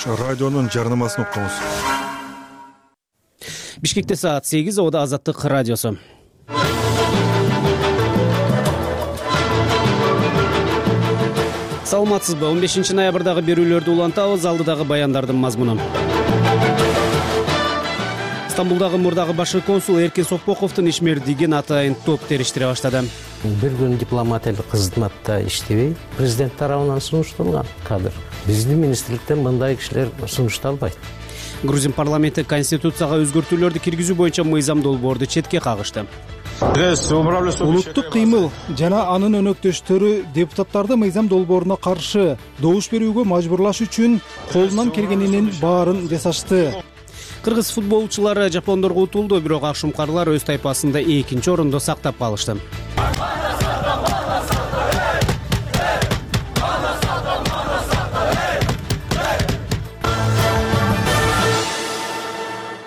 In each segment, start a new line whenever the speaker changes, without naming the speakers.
Радионун жарнамасын окуңуз.
Бишкекте саат 8, Ода Азаттык радиосу. Саламатсызбы? 15 ноябрдагы берүүлөрдү улантабыз. Алдыдагы баяндардын мазмуну. Стамбулдагы мурдагы башкы консул Эркин Соппоковдун ишмердигин атайын топ териштире баштады.
Бир күн дипломат кызматта иштебей, президент тарабынан сунушталган кадр. Биздин министрликтен мындай кишилер сунушталбайт.
Грузин парламенти конституцияга өзгөртүүлөрдү киргизүү боюнча мыйзам долбоорду четке кагышты.
Улуттук кыймыл жана анын өнөктөштөрү депутаттарды мыйзам долбооруна каршы добуш берүүгө мажбурлаш үчүн колунан келгенинин баарын жасашты.
Кыргыз футболчулары жапондорго утулду, бирок акшумкарлар өз тайпасында 2-нчи орунду сактап калышты.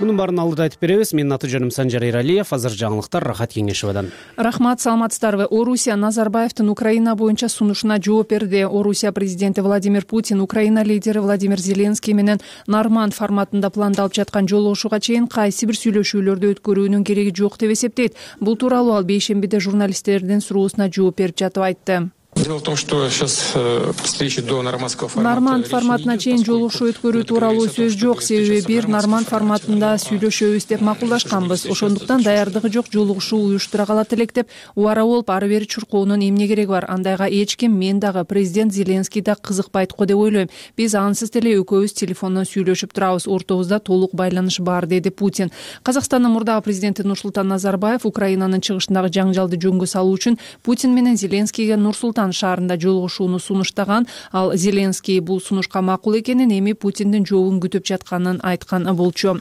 Мунун баарын алдыда айтып беребиз. Менин аты жөнүм Санжар Эралиев. Азыр жаңылыктар Рахат Кеңешовадан.
Рахмат, саламатсыздарбы? Орусия Назарбаевдин Украина боюнча сунушуна жооп берди. Орусия президенти Владимир Путин Украина лидери Владимир Зеленский менен Норманд форматында пландалып жаткан жолугушууга чейин кайсы бир сүйлөшүүлөрдү өткөрүүнүн кереги жок деп эсептейт. Бул тууралуу ал бейшембиде журналисттердин суроосуна жооп берип жатып айтты.
Дело в том, что сейчас встречи до нормандского формата.
Норманд форматына чейин жолугушуу өткөрүү тууралуу сөз жок, себеби бир Норманд форматында сүйлөшөбүз деп макулдашканбыз. Ошондуктан даярдыгы жок жолугушуу уюштура калат элек деп убара болуп ары бери чуркоонун эмне кереги бар? Андайга эч ким, мен дагы, президент Зеленский да кызыкпайт го деп ойлойм. Биз ансыз деле экөөбүз телефондон сүйлөшүп турабыз, ортобузда толук байланыш бар, деди Путин. Казакстандын мурдагы президенти Нурсултан Назарбаев Украинанын чыгышындагы жаңжалды жөнгө салуу үчүн Путин менен Зеленскийге Нурсултан шаарында жолугушууну сунуштаган. Ал Зеленский бул сунушка макул экенин, эми Путиндин жообун күтүп жатканын айткан болчу.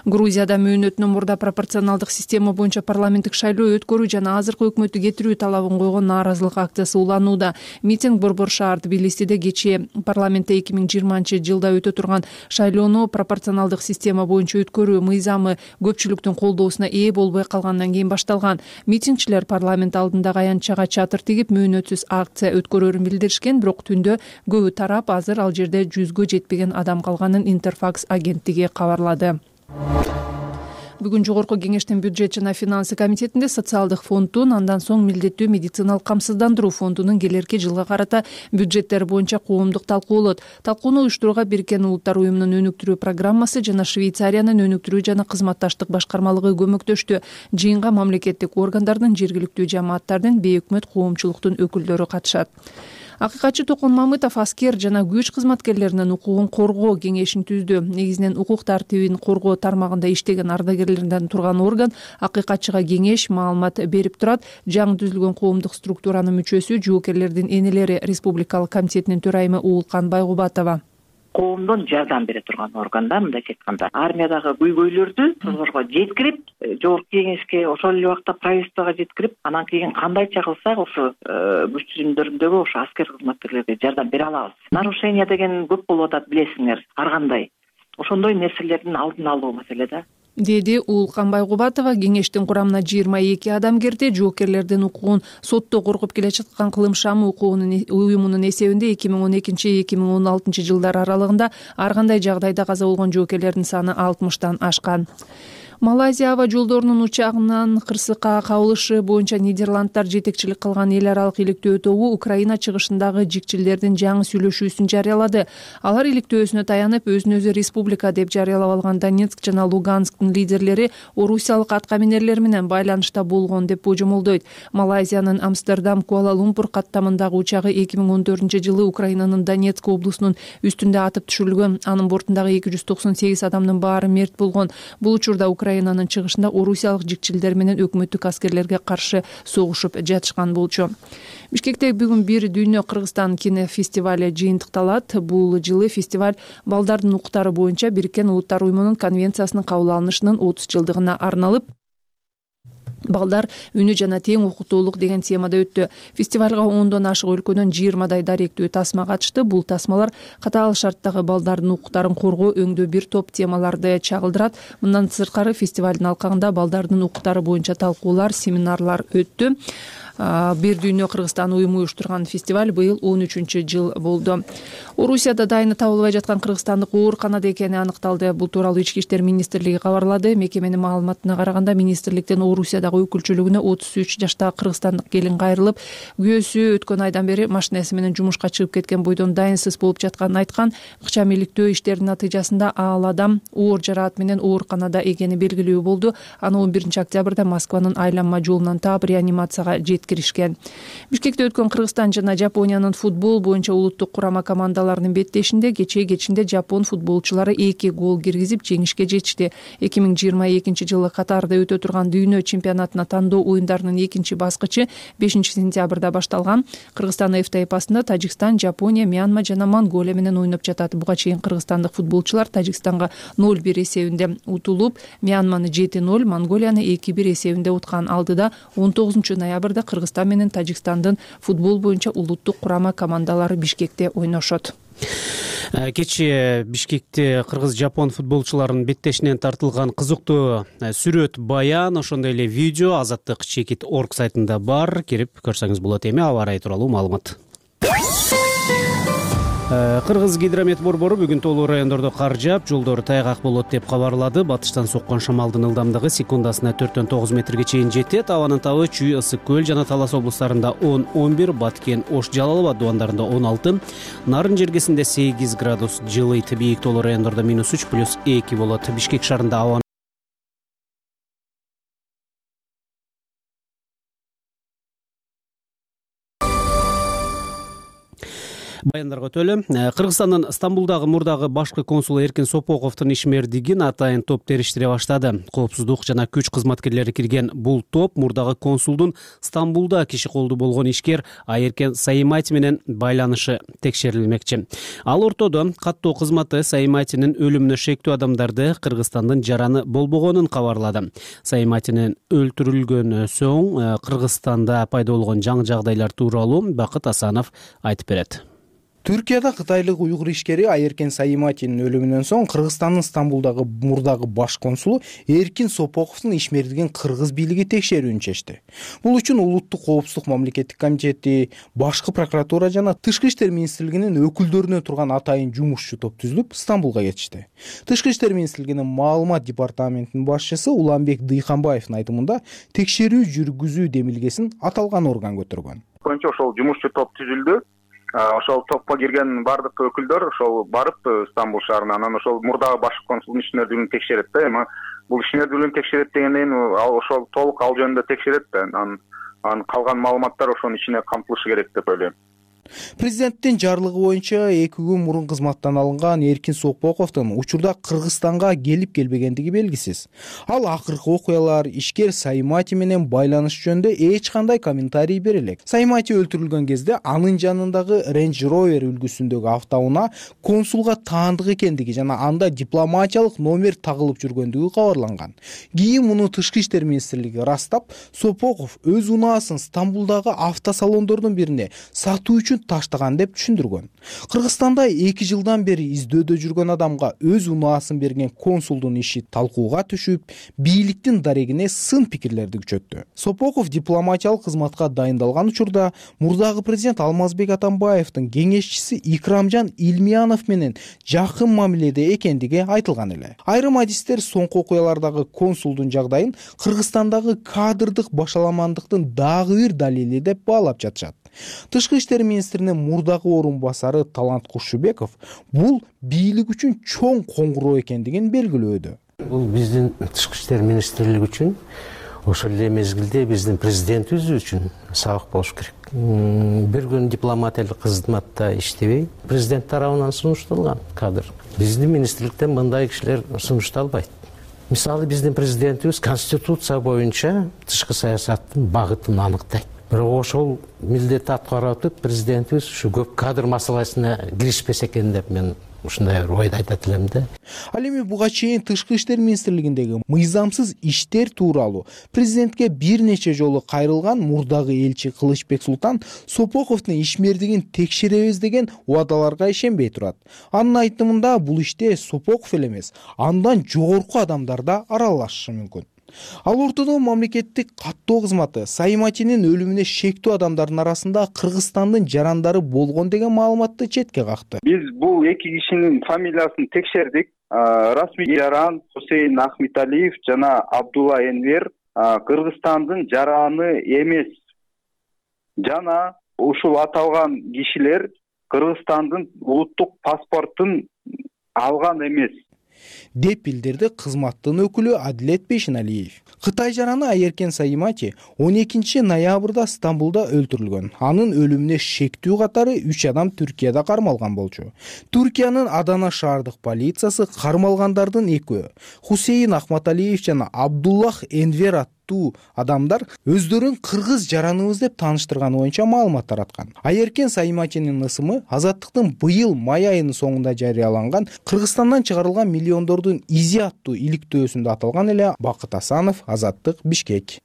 Грузияда мөөнөтүнөн мурда пропорционалдык система боюнча парламенттик шайлоо өткөрүү жана азыркы өкмөттү кетирүү талабын койгон нааразылык акциясы уланууда. Митинг Борбор шаар Тбилисиде кечээ парламентте 2020-жылда өтө турган шайлоону пропорционалдык система боюнча өткөрүү мыйзамы көпчүлүктүн колдоосуна ээ болбой калгандан кийин башталган. Митингчилер парламент алдындагы аянтчага чатыр тигип мөөнөтсүз акция өткөрөрүн билдиришкен, бирок түндө көбү тарап, азыр ал жерде 100гө жетпеген адам калганын Интерфакс агенттиги кабарлады. Бүгүн жогорку кеңештин бюджет жана финансы комитетинде социалдык фонддун, андан соң милдеттүү медициналык камсыздандыруу фондунун келерки жылга карата бюджеттер боюнча коомдук талкуу болот. Талкууну уюштурууга Бириккен Улуттар уюмунун өнүктүрүү программасы жана Швейцариянын өнүктүрүү жана кызматташтык башкармалыгы көмөктөштү. Жыйынга мамлекеттик органдардын, жергиликтүү жамааттардын, бейөкмөт коомчулуктун өкүлдөрү катышат. Акыйкатчы Токон Мамытов аскер жана күч кызматкерлеринин укугун коргоо кеңешин түздү. Негизинен укук тартибин коргоо тармагында иштеген ардагерлерден турган орган акыйкатчыга кеңеш, маалымат берип турат. Жаңы түзүлгөн коомдук структуранын мүчөсү, жоокерлердин энелери Республикалык комитетинин төрайымы Уулкан Байгубатова.
Коомдон жардам бере турган органда, мындайча айтканда, армиядагы көйгөйлөрдү созорго жеткирип, жогорку кеңешке, ошол эле убакта правительствого жеткирип, анан кийин кандайча кылсак ошо күч түзүмдөрүндөгү ошо аскер кызматкерлерге жардам бере алабыз. Нарушение деген көп болуп атат, билесиңер, ар кандай. Ошондой нерселердин алдын алуу маселе да,
деди Уулкан Байгубатова. Кеңештин курамына 22 адам кирди. Жоокерлердин укугун сотто коргоп келе жаткан Кылым шамы уюмунун эсебинде 2012-2016 жылдар аралыгында ар кандай жагдайда каза болгон жоокерлердин саны 60тан ашкан. Малайзия аба жолдорунун учагынан кырсыкка кабылышы боюнча Нидерландтар жетекчилик кылган эл аралык иликтөө тобу Украина чыгышындагы жикчилдердин жаңы сүйлөшүүсүн жарыялады. Алар иликтөөсүнө таянып, өзүн өзү республика деп жарыялап алган Донецк жана Луганскдын лидерлери орусиялык аткаминерлер менен байланышта болгон деп божомолдойт. Малайзиянын Амстердам Куала-Лумпур каттамындагы учагы 2014-жылы Украинанын Донецк облусунун үстүндө атып түшүрүлгөн. Анын бортундагы 298 адамдын баары мерт болгон. Бул учурда Украинанын чыгышында орусиялык жикчилдер менен өкмөттүк аскерлерге каршы согушуп жатышкан болчу. Бишкекте бүгүн бир дүйнө Кыргызстан кинофестивали жыйынтыкталат. Бул жылы фестиваль балдардын укуктары боюнча Бириккен Улуттар уюмунун конвенциясынын кабыл алынышынын 30 жылдыгына арналып, балдар үнү жана тең укуктуулук деген темада өттү. Фестивалга 10дон ашык өлкөдөн 20дай даректүү тасма катышты. Бул тасмалар катаал шарттагы балдардын укуктарын коргоо өңдө бир топ темаларды чагылдырат. Мындан сырткары фестивалдын алкагында балдардын укуктары боюнча талкуулар, семинарлар өттү. Бир дүйнө Кыргызстан уюму уюштурган фестиваль быйыл 13 жыл болду. Орусияда дайыны табылбай жаткан кыргызстандык ооруканада экени аныкталды. Бул тууралуу Ички иштер министрлиги кабарлады. Мекеменин маалыматына караганда, министрликтен Орусиядагы өкүлчүлүгүнө 33 жаштагы кыргызстандык келин кайрылып, күйөөсү өткөн айдан бери машинеси менен жумушка чыгып кеткен бойдон дайынсыз болуп жатканын айткан. Ыкчам иликтөө иштеринин натыйжасында ал адам оор жараат менен ооруканада экени белгилүү болду. Аны 11 октябрда Москванын айланма жолунан таап реанимацияга жеткиришкен. Бишкекте өткөн Кыргызстан жана Жапониянын футбол боюнча улуттук курама командаларынын беттешинде кечинде жапон футболчулары 2 гол киргизип жеңишке жетишти. 2022 жылы Катарда өтө турган дүйнө чемпионатына тандоо оюндарынын экинчи баскычы 5 сентябрда башталган. Кыргызстан F тайпасында Тажикстан, Жапония, Мьянма жана Монголия менен ойноп жатат. Буга чейин кыргызстандык футболчулар Тажикстанга 0-1 эсебинде утулуп, Мьянманы 7-0, Монголияны 2-1 эсебинде уткан. Алдыда 19 ноябрда Кыргызстан менен Тажикстандын футбол боюнча улуттук курама командалары Бишкекте ойношот.
Кечээ Бишкекте кыргыз-жапон футболчуларынын беттешинен тартылган кызыктуу сүрөт, баян, ошондой эле видео Азаттык Чекит.org сайтында бар. Кирип көрсөңүз болот. Эми аба ырайы тууралуу маалымат. Кыргыз гидромет борбору бүгүн толуу райондордо кар жаап, жолдор тайгак болот деп кабарлады. Батыштан соккон шамалдын ылдамдыгы секундасына 4-9 метрге чейин жетет. Абанын табы Чүй, Ысык көл жана Талас облустарында 10-11, Баткен, Ош, Жалал Абад дубандарында 16, Нарын жергесинде 8 градус жылыйт. Бийик толуу райондордо -3 +2 болот. Бишкек шаарында абанын баяндарга өтөлү. Кыргызстандын Стамбулдагы мурдагы башкы консулу Эркин Сопоковдун ишмердигин атайын топ териштире баштады. Коопсуздук жана күч кызматкерлери кирген бул топ мурдагы консулдун Стамбулда киши колду болгон ишкер Айеркен Саимати менен байланышы текшерилмекчи. Ал ортодо каттоо кызматы Саиматинин өлүмүнө шектүү адамдарды Кыргызстандын жараны болбогонун кабарлады. Саиматинин өлтүрүлгөн соң Кыргызстанда пайда болгон жаңы жагдайлар тууралуу Бакыт Асанов айтып берет.
Түркияда кытайлык уйгур ишкери Айеркен Саиматинин өлүмүнөн соң Кыргызстандын Стамбулдагы мурдагы баш консулу Эркин Сопоковдун ишмердигин кыргыз бийлиги текшерүүнү чечти. Бул үчүн Улуттук коопсуздук мамлекеттик комитети, башкы прокуратура жана Тышкы иштер министрлигинин өкүлдөрүнө турган атайын жумушчу топ түзүлүп Стамбулга кетишти. Тышкы иштер министрлигинин маалымат департаментинин башчысы Уланбек Дыйханбаевдин айтымында текшерүү жүргүзүү демилгесин аталган орган көтөргөн.
Ошол жумушчу топ түзүлдү. Ошол топко кирген бардык өкүлдөр ошол барып Стамбул шаарына анан ошол мурдагы башкы консулдун ишмердүүлүгүн текшерет да. Эми бул ишмердүүлүгүн текшерет дегенден ошол толук ал жөнүндө текшерет да. Анан калган маалыматтар ошонун ичине камтылышы керек деп ойлойм.
Президенттин жарлыгы боюнча 2 күн мурун кызматтан алынган Эркин Сопоковдун учурда Кыргызстанга келип келбегендиги белгисиз. Ал акыркы окуялар, ишкер Саимати менен байланыш жөнүндө эч кандай комментарий бере элек. Саимати өлтүрүлгөн кезде анын жанындагы Range Rover үлгүсүндөгү автоунаа консулга таандык экендиги жана анда дипломатиялык номер тагылып жүргөндүгү кабарланган. Кийин муну Тышкы иштер министрлиги ырастап, Сопоков өз унаасын Стамбулдагы автосалондордун бирине сатуу үчүн таштаган деп түшүндүргөн. Кыргызстанда 2 жылдан бери издөөдө жүргөн адамга өз унаасын берген консулдун иши талкууга түшүп, бийликтин дарегине сын пикирлерди күчөттү. Сопоков дипломатиялык кызматка дайындалган учурда мурдагы президент Алмазбек Атамбаевдин кеңешчиси Икрамжан Илмиянов менен жакын мамиледе экендиги айтылган эле. Айрым адистер соңку окуялардагы консулдун жагдайын Кыргызстандагы кадрдык башаламандыктын дагы бир далили деп баалап жатышат. Тышкы иштер министринин мурдагы орун басары Талант Кушубеков бул бийлик үчүн чоң коңгуроо экендигин белгилөөдө.
Бул биздин Тышкы иштер министрлиги үчүн, ошол эле мезгилде биздин президентибиз үчүн сабак болуш керек. Бир күн дипломатиялык кызматта иштебей, президент тарабынан сунушталган кадр. Биздин министрликтен мындай кишилер сунушталбайт. Мисалы биздин президентибиз конституция боюнча тышкы саясаттын багытын аныктайт. Бирок ошол милдетти аткарып атып, президентибиз ушу көп кадр маселесине киришпесе экен деп мен ушундай бир ойду айтат элем да.
Ал эми буга чейин Тышкы иштер министрлигиндеги мыйзамсыз иштер тууралуу президентке бир нече жолу кайрылган мурдагы элчи Кылычбек Султан Сопоковдун ишмердигин текшеребиз деген убадаларга ишенбей турат. Анын айтымында бул иште Сопоков эле эмес, андан жогорку адамдар да аралашышы мүмкүн. Ал ортодо мамлекеттик каттоо кызматы Саиматинин өлүмүнө шектүү адамдардын арасында Кыргызстандын жарандары болгон деген маалыматты четке какты.
Биз бул эки кишинин фамилиясын текшердик. Расмий жаран Хусейн Ахметалиев жана Абдулла Энвер Кыргызстандын жараны эмес. Жана ушул аталган кишилер Кыргызстандын улуттук паспортун алган эмес,
деп билдирди кызматтын өкүлү Адилет Бейшеналиев. Кытай жараны Айеркен Саимати 12 ноябрда Стамбулда өлтүрүлгөн. Анын өлүмүнө шектүү катары 3 адам Түркияда кармалган болчу. Түркиянын Адана шаардык полициясы кармалгандардын экөө Хусейн Ахматалиев жана Абдуллах Энвер аттуу адамдар өздөрүн кыргыз жараныбыз деп тааныштырганы боюнча маалымат тараткан. Айеркен Саиматинин ысымы Азаттыктын быйыл май айынын соңунда жарыяланган Кыргызстандан чыгарылган миллиондордун изи аттуу иликтөөсүндө аталган эле. Бакыт Асанов, Азаттык, Бишкек.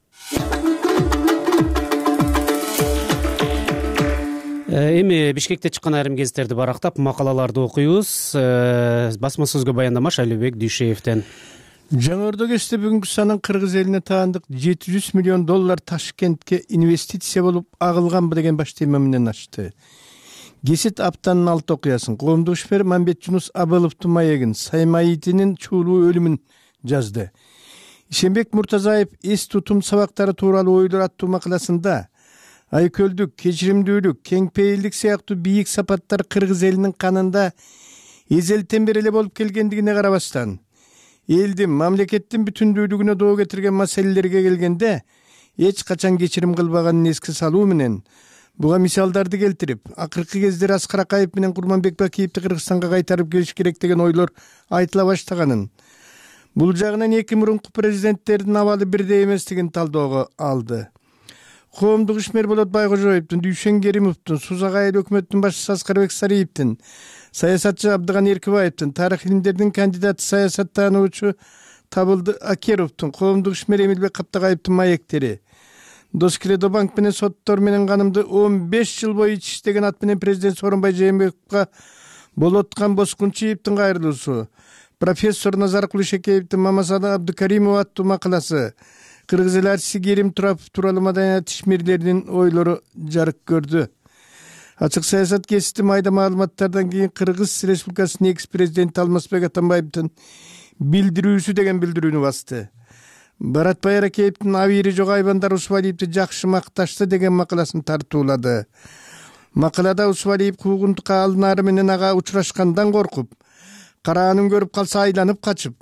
Эми Бишкекте чыккан айрым гезиттерди барактап макалаларды окуйбуз. Басма сөзгө баяндама Шайлообек Дүйшеевден.
Жаңырды кечте бүгүнкү санын кыргыз элине таандык $700 миллион Ташкентке инвестиция болуп агылганбы деген баш тема менен ачты. Гесит аптанын 6 окуясын коомдук ишмер Мамбетжунус Абыловдун маегин Саиматинин чуулуу өлүмүн жазды. Ишенбек Муртазаев эс тутум сабактары тууралуу ойлор аттуу макаласында айкөлдүк, кечиримдүүлүк, кеңпейилдик сыяктуу бийик сапаттар кыргыз элинин канында эзелтен бери эле болуп келгендигине карабастан, элдин, мамлекеттин бүтүндүүлүгүнө доо кетирген маселелерге келгенде эч качан кечирим кылбаганын эске салуу менен буга мисалдарды келтирип, акыркы кездери Аскар Акаев менен Курманбек Бакиевди Кыргызстанга кайтарып келиш керек деген ойлор айтыла баштаганын, бул жагынан эки мурунку президенттердин абалы бирдей эместигин талоого алды. Коомдук ишмер Болот Байгожоевдун, Дүйшен Керимовдун, Сузак айыл өкмөттүн башчысы Аскарбек Сариевдин, саясатчы Абдыган Эркибаевдин, тарых илимдеринин кандидаты саясаттануучу Табылды Акеровдун, коомдук ишмер Эмилбек Каптагаевдин маектери, Доскеледобанк менен соттор менен канымды 15 жыл бою иштеген ат менен президент Сооронбай Жээнбековго Болоткан Боскунчиевдин кайрылуусу, профессор Назар Кулишекеевдин Мамасада Абдыкаримова аттуу макаласы, кыргыз эл артисти Керим Турапов тууралуу маданият ишмерлеринин ойлору жарык көрдү. Ачык саясат гезити майда маалыматтардан кийин Кыргыз Республикасынын экс президенти Алмазбек Атамбаевдин билдирүүсү деген билдирүүнү басты. Баратбай Аракеевдин Абийири жок айбандар Усвалиевди жакшы макташты деген макаласын тартуулады. Макалада Усвалиев куугунтукка алынаары менен ага учурашкандан коркуп, караанын көрүп калса айланып качып,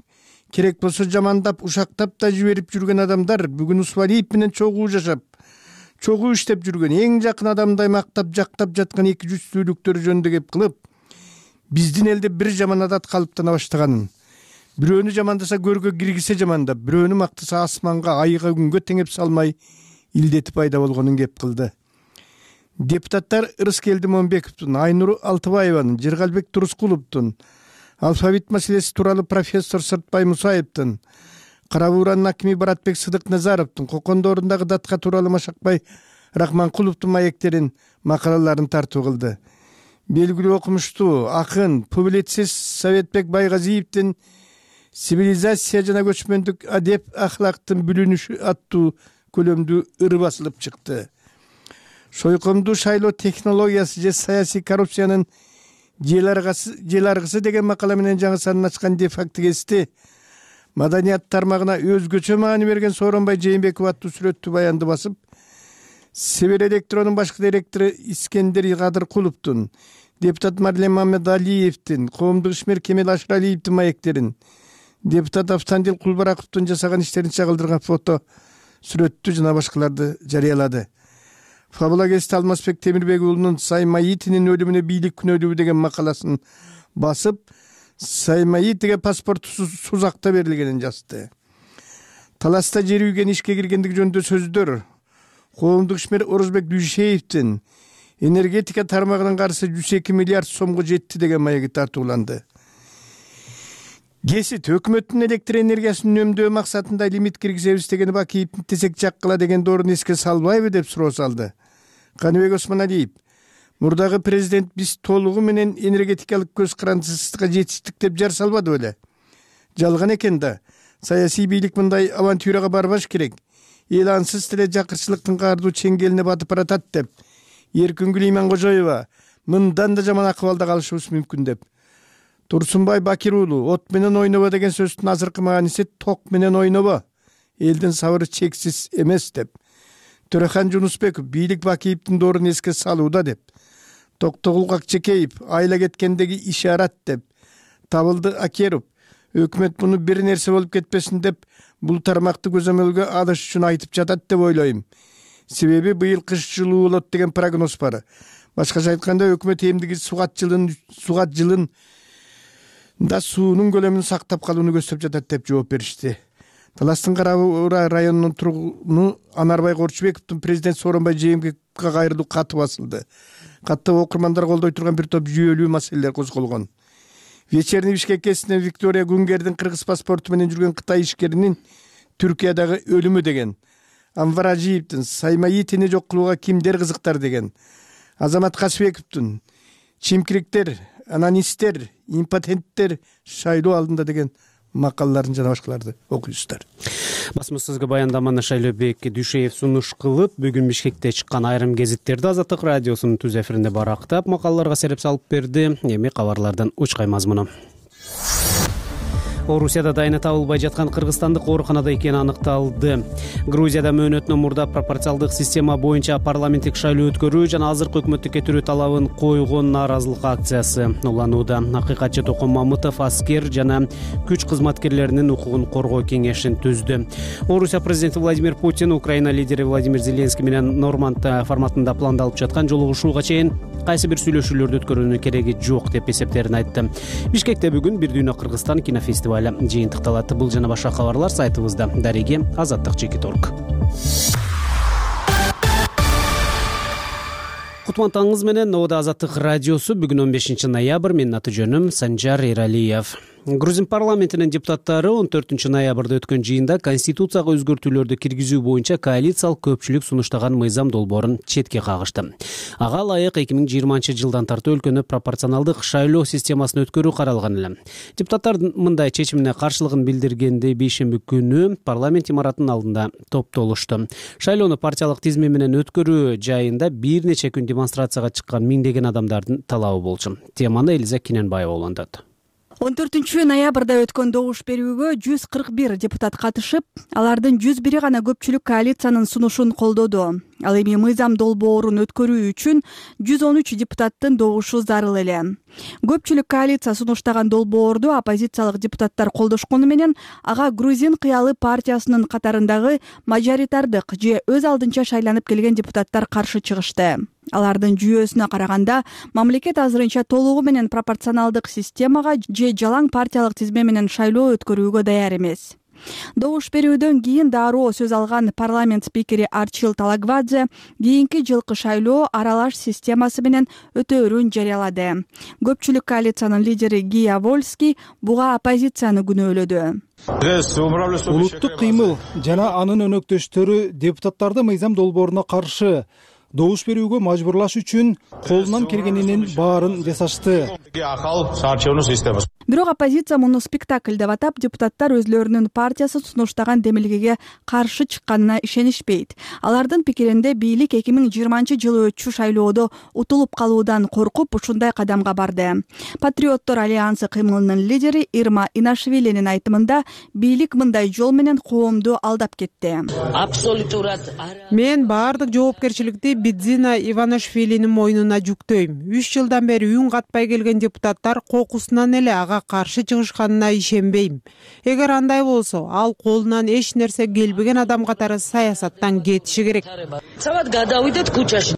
керек болсо жамандап, ушактап да жиберип жүргөн адамдар бүгүн Усвалиев менен чогуу жашап, чогуу иштеп жүргөн, эң жакын адамдай мактап, жактап жаткан эки жүздүүлүктөр жөнүндө кеп кылып, биздин элде бир жаман адат калыптана баштаганын, бирөөнү жамандаса көргө киргизе жамандап, бирөөнү мактаса асманга, айга, күнгө теңеп салмай илдети пайда болгонун кеп кылды. Депутаттар Ырыскелди Момбековдун, Айнур Алтыбаеванын, Жыргалбек Турускуловдун, алфавит маселеси тууралуу профессор Сыртбай Мусаевдин, Кара Бууранын акими Баратбек Сыдык-Назаровдун, Кокондорундагы датка тууралуу Машакбай Рахманкуловдун маектерин, макалаларын тартуу кылды. Белгилүү окумуштуу, акын, публицист Советбек Байгазиевдин «Цивилизация жана көчмөндүк адеп ахлактын бүлүнүшү» аттуу көлөмдүү ыры басылып чыкты. Сойкомдуу шайлоо технологиясы же саясий коррупциянын жел аргысы деген макала менен жаңы санын ачкан де-факто гезити маданият тармагына өзгөчө маани берген Сооронбай Жээнбеков аттуу сүрөттүү баянды басып, Север Электронун башкы директору Искендер Кадыркуловдун, депутат Марлен Мамедалиевдин, коомдук ишмер Кемел Ашыралиевдин маектерин, депутат Автандил Кулбараковдун жасаган иштерин чагылдырган фото сүрөттү жана башкаларды жарыялады. Фабула гезити Алмазбек Темирбек уулунун Саиматинин өлүмүнө бийлик күнөөлүү деген макаласын басып, Саиматиге паспорту Сузакта берилгенин жазды. Таласта жер үйгөн ишке киргендиги жөнүндө сөздөр коомдук ишмер Орозбек Дүйшеевдин энергетика тармагынын каржысы 102 миллиард сомго жетти деген маеги тартууланды. Гесит өкмөттүн электр энергиясын үнөмдөө максатында лимит киргизебиз дегени Бакиевдин тесек жаккыла деген доорун эске салбайбы деп суроо салды. Каныбек Осмоналиев, мурдагы президент биз толугу менен энергетикалык көз карандысызга жетиштик деп жар салбады беле? Жалган экен да. Саясий бийлик мындай авантюрага барбаш керек. Эл ансыз деле жакырчылыктын каардуу чеңгелине батып баратат деп. Эркүнгүл Иманкожоева мындан да жаман акыбалда калышыбыз мүмкүн деп. Турсунбай Бакир уулу от менен ойнобо деген сөздүн азыркы мааниси ток менен ойнобо. Элдин сабыры чексиз эмес деп. Төрехан Жунусбеков бийлик Бакиевдин доорун эске салууда деп. Токтогул Акчекеев айла кеткендеги ишарат деп. Табылды Акеров өкмөт муну бир нерсе болуп кетпесин деп бул тармакты көзөмөлгө алыш үчүн айтып жатат деп ойлойм. Себеби быйыл кыш жылуу болот деген прогноз бар. Башкача айтканда өкмөт эмдиги сугат жылын да суунун көлөмүн сактап калууну көздөп жатат деп жооп беришти. Таластын Кара Буура районунун тургуну Анарбай Корчубековдун президент Сооронбай Жээнбековге кайрылуу каты басылды. Катта окурмандар колдой турган бир топ жүйөлүү маселелер козголгон. Вечерний Бишкек кесинен Виктория Гунгердин кыргыз паспорту менен жүргөн Кытай ишкеринин Түркиядагы өлүмү деген. Анвар Ажиевдин Саймаитини жок кылууга кимдер кызыктар деген. Азамат Касыбековдун чимкириктер, анонисттер, импотенттер шайлоо алдында деген макалаларын жана башкаларды окуйсуздар.
Басмасызга баяндаманы Шайлообек Дүйшеев сунуш кылып, бүгүн Бишкекте чыккан айрым гезиттерди Азаттык радиосунун түз эфиринде барактап, макалаларга сереп салып берди. Эми кабарлардан учкай мазмуну. Орусияда дайыны табылбай жаткан кыргызстандык ооруканада экени аныкталды. Грузияда мөөнөтүнөн мурда пропорциалдык система боюнча парламенттик шайлоо өткөрүү жана азыркы өкмөттү кетирүү талабын койгон нааразылык акциясы уланууда. Акыйкатчы Токон Мамытов аскер жана күч кызматкерлеринин укугун коргоо кеңешин түздү. Орусия президенти Владимир Путин Украина лидери Владимир Зеленский менен Норманд форматында пландалып жаткан жолугушууга чейин кайсы бир сүйлөшүүлөрдү өткөрүүнүн кереги жок деп эсептерин айтты. Бишкекте бүгүн Бир дүйнө Кыргызстан кинофестивали жыйынтыкталат. Бул жана башка кабарлар сайтыбызда. Дареги Азаттык.org. Кутмантаңыз менен Нода Азаттык радиосу бүгүн 15 ноябрь. Менин аты жөнүм Санжар Эралиев. Грузин парламентинин депутаттары 14 ноябрда өткөн жыйында конституцияга өзгөртүүлөрдү киргизүү боюнча коалициялык көпчүлүк сунуштаган мыйзам долбоорун четке кагышты. Ага ылайык 2020-жылдан тартып өлкөнү пропорционалдык шайлоо системасын өткөрүү каралган эле. Депутаттар мындай чечимине каршылыгын билдиргенде бейшемби күнү парламент имаратынын алдында топтолушту. Шайлоону партиялык тизме менен өткөрүү жайында бир нече күн демонстрацияга чыккан миңдеген адамдардын талабы болчу. Теманы Элиза Киненбаева улантат.
14 ноябрда өткөн добуш берүүгө 141 депутат катышып, алардын 101 гана көпчүлүк коалициянын сунушун колдоду. Ал эми мыйзам долбоорун өткөрүү үчүн 113 депутаттын добушу зарыл эле. Көпчүлүк коалиция сунуштаган долбоорду оппозициялык депутаттар колдошкону менен ага Грузин кыялы партиясынын катарындагы мажоритардык же өз алдынча шайланып келген депутаттар каршы чыгышты. Алардын жүйөсүнө караганда мамлекет азырынча толугу менен пропорционалдык системага же жалаң партиялык тизме менен шайлоо өткөрүүгө даяр эмес. Добуш берүүдөн кийин дароо сөз алган парламент спикери Арчил Талагвадзе кийинки жылкы шайлоо аралаш системасы менен өтөөрүн жарыялады. Көпчүлүк коалициянын лидери Гия Вольский буга оппозицияны күнөөлөдү.
Улуттук кыймыл жана анын өнөктөштөрү депутаттарды мыйзам долбооруна каршы добуш берүүгө мажбурлаш үчүн колунан келгенинин баарын жасашты.
Бирок оппозиция муну спектакль деп атап, депутаттар өзлөрүнүн партиясы сунуштаган демилгеге каршы чыкканына ишенишпейт. Алардын пикиринде бийлик 2020-жылы өтчү шайлоодо утулуп калуудан коркуп ушундай кадамга барды. Патриоттор альянсы кыймылынын лидери Ирма Инашвилинин айтымында бийлик мындай жол менен коомду алдап кетти.
Мен баардык жоопкерчиликти Бидзина Иванашвилинин мойнуна жүктөйм. 3 жылдан бери үн катпай келген депутаттар кокусунан эле ага каршы чыгышканына ишенбейм. Эгер андай болсо, ал колунан эч нерсе келбеген адам катары саясаттан кетиши керек.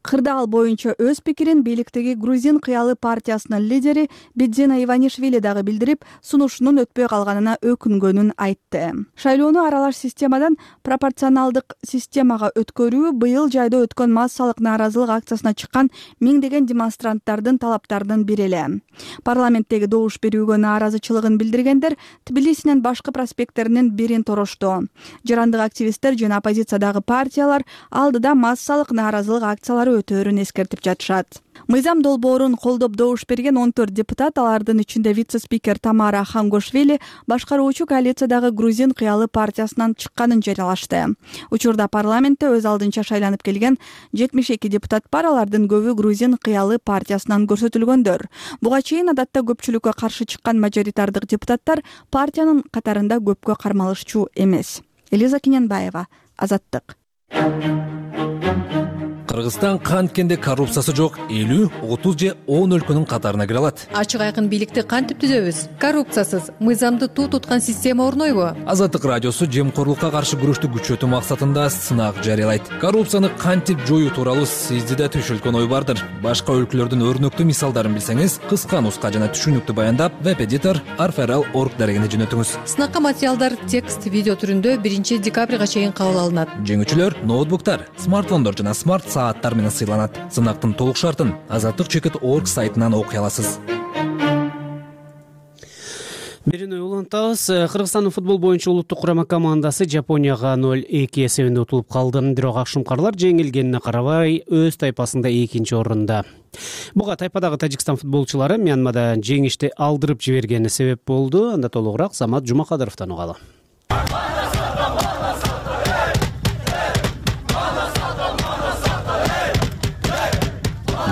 Кырдаал боюнча өз пикирин бийликтеги Грузин кыялы партиясынын лидери Бидзина Иванишвили дагы билдирип, сунушунун өтпөй калганына өкүнгөнүн айтты. Шайлоону аралаш системадан пропорционалдык системага өткөрүү быйыл жайда өткөн массалык нааразылык акциясына чыккан миңдеген демонстранттардын талаптарынын бири эле. Парламенттеги добуш берүүгө нааразычылыгын билдиргендер Тбилисинин башкы проспекттеринин бирин торошту. Жарандык активисттер жана оппозициядагы партиялар алдыда массалык нааразылык акциялары өтөөрүн эскертип жатышат. мыйзам долбоорун колдоп добуш берген 14 депутат, алардын ичинде вице-спикер Тамара Хангошвили башкаруучу коалициядагы Грузин кыялы партиясынан чыкканын жарыялашты. Учурда парламентте өз алдынча шайланып келген 72 депутат бар, алардын көбү Грузин кыялы партиясынан көрсөтүлгөндөр. Буга чейин адатта көпчүлүккө каршы чыккан мажоритардык депутаттар партиянын катарында көпкө кармалышчу эмес. Элиза Киненбаева, Азаттык.
Кыргызстан канткенде коррупциясы жок 50, 30 же 10 өлкөнүн катарына кире алат.
Ачык айкын бийликти кантип түзөбүз? Коррупциясыз, мыйзамды туу туткан система орнойбу?
Азаттык радиосу жемкорлукка каршы күрөштү күчөтүү максатында сынак жарыялайт. Коррупцияны кантип жоюу тууралуу сизде да түшүлгөн ой бардыр. Башка өлкөлөрдүн өрнөктүү мисалдарын билсеңиз, кыска нуска жана түшүнүктүү баяндап, веб-эдитор arferal.org дарегине жөнөтүңүз.
Сынакка материалдар текст, видео түрүндө 1 декабрга чейин кабыл алынат.
Жеңүүчүлөр ноутбуктар, смартфондор жана смарт сааттар менен сыйланат. Сынактын толук шартын azattik.org сайтынан окуй аласыз.
Берүүнү улантабыз. Кыргызстандын футбол боюнча улуттук курама командасы Жапонияга 0-2 эсебинде утулуп калды. Бирок акшумкарлар жеңилгенине карабай өз тайпасында 2-нчи орунда. Буга тайпадагы Тажикстан футболчулары Мьянмада жеңишти алдырып жибергени себеп болду. Анда толугураак Самат Жумакадыровдон угалы.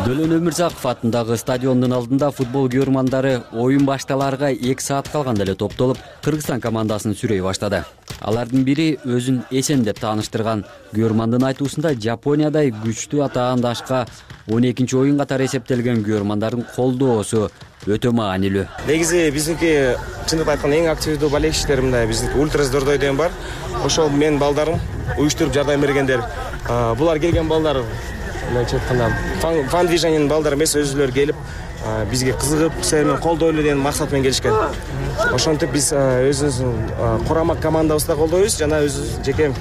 Дөлөн Өмүрзаков атындагы стадиондун алдында футбол көрөрмандары оюн башталарга 2 саат калганда эле топтолуп, Кыргызстан командасын сүрөй баштады. Алардын бири өзүн эсен деп тааныштырган. Көрөрмандын айтуусунда Жапониядай күчтүү атаандашка 12-нчи оюн катары эсептелген көрөрмандардын колдоосу өтө маанилүү.
Негизи биздики чындыгын айтканда эң активдүү болельщиктер мындай биздики Ультрас Дордой деген бар. Ошол мен балдарым уюштуруп жардам бергендер. Булар келген балдар фан движениянын балдары эмес, өзүлөрү келип бизге кызыгып, сени колдойлу деген максат менен келишкен. Ошентип биз өзүбүздүн курама командабызды колдойбуз жана өзүбүз жеке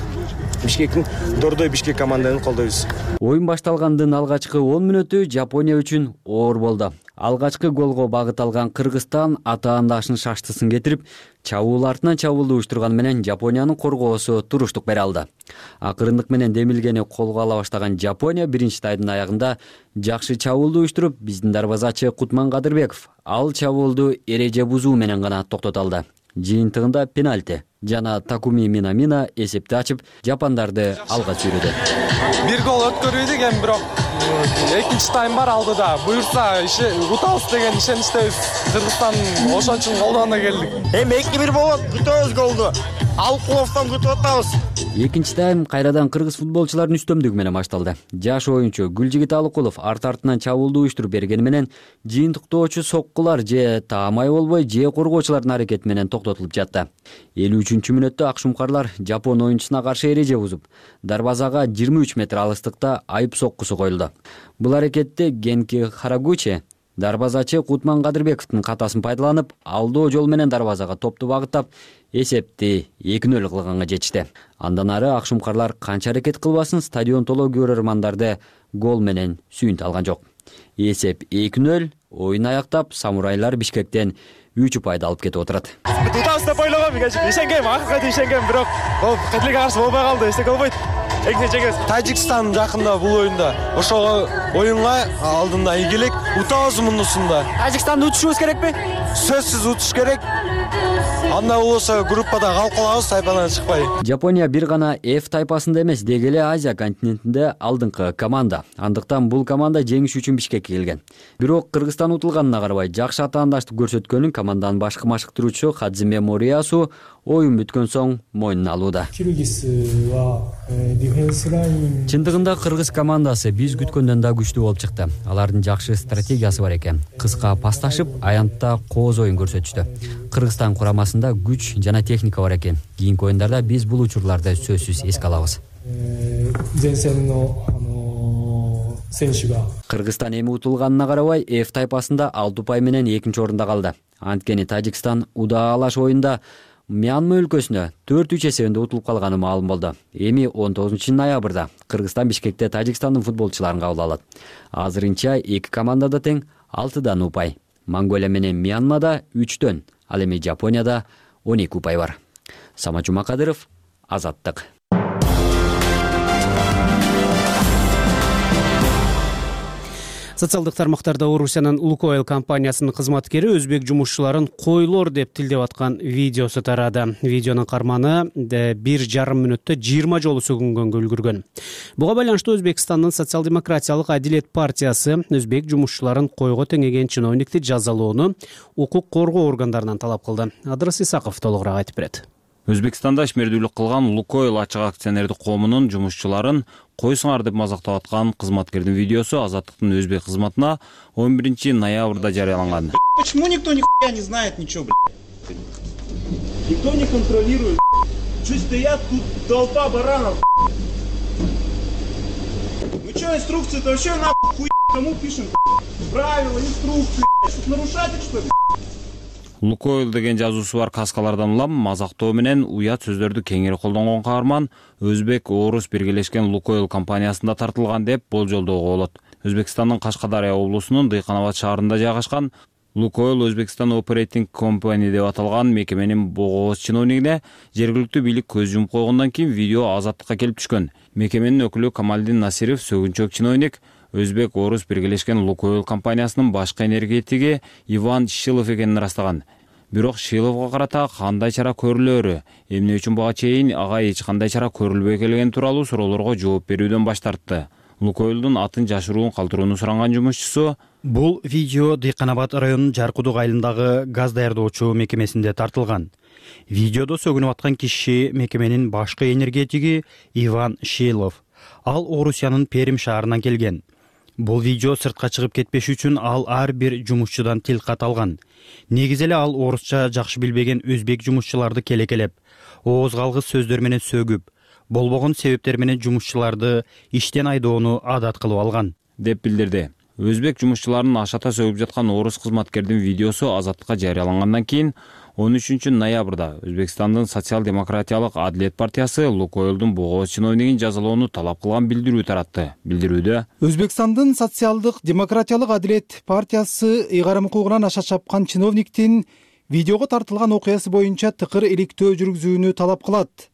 Бишкектин Дордой Бишкек команданы колдойбуз.
Оюн башталгандын алгачкы 10 мүнөтү Жапония үчүн оор болду. Алгачкы голго багыт алган Кыргызстан атаандашын шаштысын кетирип, чабуул артынан чабуул уюштурган менен Жапониянын коргоосу туруштук бере алды. Акырындык менен демилгени колго ала баштаган Жапония биринчи тайдын аягында жакшы чабуулду уюштуруп, биздин дарбазачы Кутман Кадырбеков ал чабуулду эреже бузуу менен гана токтото алды. Жыйынтыгында пенальти жана Такуми Минамина эсепти ачып, жапондарды алга сүрөдү.
Бир гол өткөрбөйдүк, эми бирок экинчи тайм бар алдыда. Буюрса утабыз деген ишеничтебиз. Кыргызстан ошон үчүн колдоонго келдик.
Эми 2-1 болот, күтөбүз голду. Алкуловдон күтүп атабыз.
Экинчи тайм кайрадан кыргыз футболчуларынын үстөмдүгү менен башталды. Жаш оюнчу Гүлжигит Алыкулов арт-артынан чабуулду уюштуруп бергени менен жыйынтыктоочу соккулар же таамай болбой, же коргоочулардын аракети менен токтотулуп жатты. 53-мүнөттө акшумкарлар Жапон оюнчусуна каршы эреже бузуп, дарбазага 23 метр алыстыкта айып соккусу коюлду. Бул аракетте Генки Харагучи дарбазачы Кутман Кадырбековдун катасын пайдаланып, алдоо жол менен дарбазага топту багыттап, эсепти 2-0 кылганга жетишти. Андан ары акшумкарлар канча аракет кылбасын стадион толо көрөрмандарды гол менен сүйүнтө алган жок. Эсеп 2-0, оюн аяктап, самурайлар Бишкектен 3 упайды алып кетип отурат.
Утабыз деп ойлогом, ишенгем, акыркы чейин ишенгем, бирок бул кетилге каршы болбой калды, эчтеке болбойт. Тажикстан жакында бул оюнда. Ошого оюнга алдында ийгилик, утабыз мундусунда.
Тажикстанды утушубуз керекпи?
Сөзсүз утуш керек. Анда болсо группада калып калабыз, тайпадан чыкпай.
Жапония бир гана F тайпасында эмес, деги эле Азия континентинде алдыңкы команда. Андыктан бул команда жеңиш үчүн Бишкекке келген. Бирок Кыргызстан утулганына карабай, жакшы атаандаштык көрсөткөнүн команданын башкы машыктыруучу Хадзиме Мориасу оюн бүткөн соң мойнуна алууда. Чындыгында кыргыз командасы биз күткөндөн да күчтүү болуп чыкты. Алардын жакшы стратегиясы бар экен. Кыска пасташып, аянтта кооз оюн көрсөтүштү. Кыргызстан курамасында күч жана техника бар экен. Кийинки оюндарда биз бул учурларды сөзсүз эске алабыз. Кыргызстан эми утулганына карабай, F тайпасында 6 упай менен 2-нчи орунда калды. Анткени Тажикстан удаалаш оюнда Мьянма өлкөсүнө 4-3 эсебинде утулуп калганы маалым болду. Эми 19 ноябрда Кыргызстан Бишкекте Тажикстандын футболчуларын кабыл алат. Азырынча 2 командада тең 6 упай. Монголия менен Мьянмада 3, ал эми Жапонияда 12 упай бар. Самат Жумакадыров, Азаттык.
Социалдык тармактарда Орусиянын Лукойл компаниясынын кызматкери өзбек жумушчуларын койлор деп тилдеп аткан видеосу тарады. Видеонун карманы 1,5 мүнөттө 20 жолу сөгүнгөнгө үлгүргөн. Буга байланыштуу Өзбекстандын социал-демократиялык Адилет партиясы өзбек жумушчуларын койго теңеген чиновникти жазалоону укук коргоо органдарынан талап кылды. Адрас Исаков толугураак айтып берет.
Өзбекстанда ишмердүүлүк кылган Лукойл ачык акционердик коомунун жумушчуларын койсуңар деп мазактап аткан кызматкердин видеосу Азаттыктын өзбек кызматына 11 ноябрда жарыяланган.
Почему никто нихуя не знает ничего, блядь? Никто не контролирует. Чуть стоят тут толпа баранов. Ну что, инструкции-то вообще нахуй хуй кому пишем? Правила, инструкции, что нарушатель, что ли?
Лукойл деген жазуусу бар каскалардан улам мазактоо менен уят сөздөрдү кеңири колдонгон каарман өзбек орус биргелешкен Лукойл компаниясында тартылган деп болжолдоого болот. Өзбекстандын Кашкадария облусунун Дыйканабад шаарында жайгашкан Лукойл Өзбекстан Operating Company деп аталган мекеменин богооз чиновнигине жергиликтүү бийлик көз жумуп койгондон кийин видео Азаттыкка келип түшкөн. Мекеменин өкүлү Камалдин Насиров сөгүнчөк чиновник өзбек орус биргелешкен Лукойл компаниясынын башкы энергетиги Иван Шилов экенин ырастаган. Бирок Шиловго карата кандай чара көрүлөөрү, эмне үчүн буга чейин ага эч кандай чара көрүлбөй келгени тууралуу суроолорго жооп берүүдөн баш тартты. Лукойлдун атын жашыруун калтырууну суранган жумушчусу
бул видео Дыйканабад районунун Жаркудук айылындагы газ даярдоочу мекемесинде тартылган. Видеодо сөгүнүп аткан киши мекеменин башкы энергетиги Иван Шилов. Ал Орусиянын Перим шаарынан келген. Бул видео сыртка чыгып кетпеш үчүн ал ар бир жумушчудан тил кат алган. Негизи эле ал орусча жакшы билбеген өзбек жумушчуларды келекелеп, ооз калгыс сөздөр менен сөгүп, болбогон себептер менен жумушчуларды иштен айдоону адат кылып алган
деп билдирди. Өзбек жумушчуларын ашата сөгүп жаткан орус кызматкердин видеосу Азаттыкка жарыялангандан кийин 13 ноябрда Өзбекстандын социал-демократиялык Адилет партиясы Лукойлдун богооз чиновнигин жазалоону талап кылган билдирүү таратты. Билдирүүдө
Өзбекстандын социалдык демократиялык Адилет партиясы ыйгарым укугунан аша чапкан чиновниктин видеого тартылган окуясы боюнча тыкыр иликтөө жүргүзүүнү талап кылат.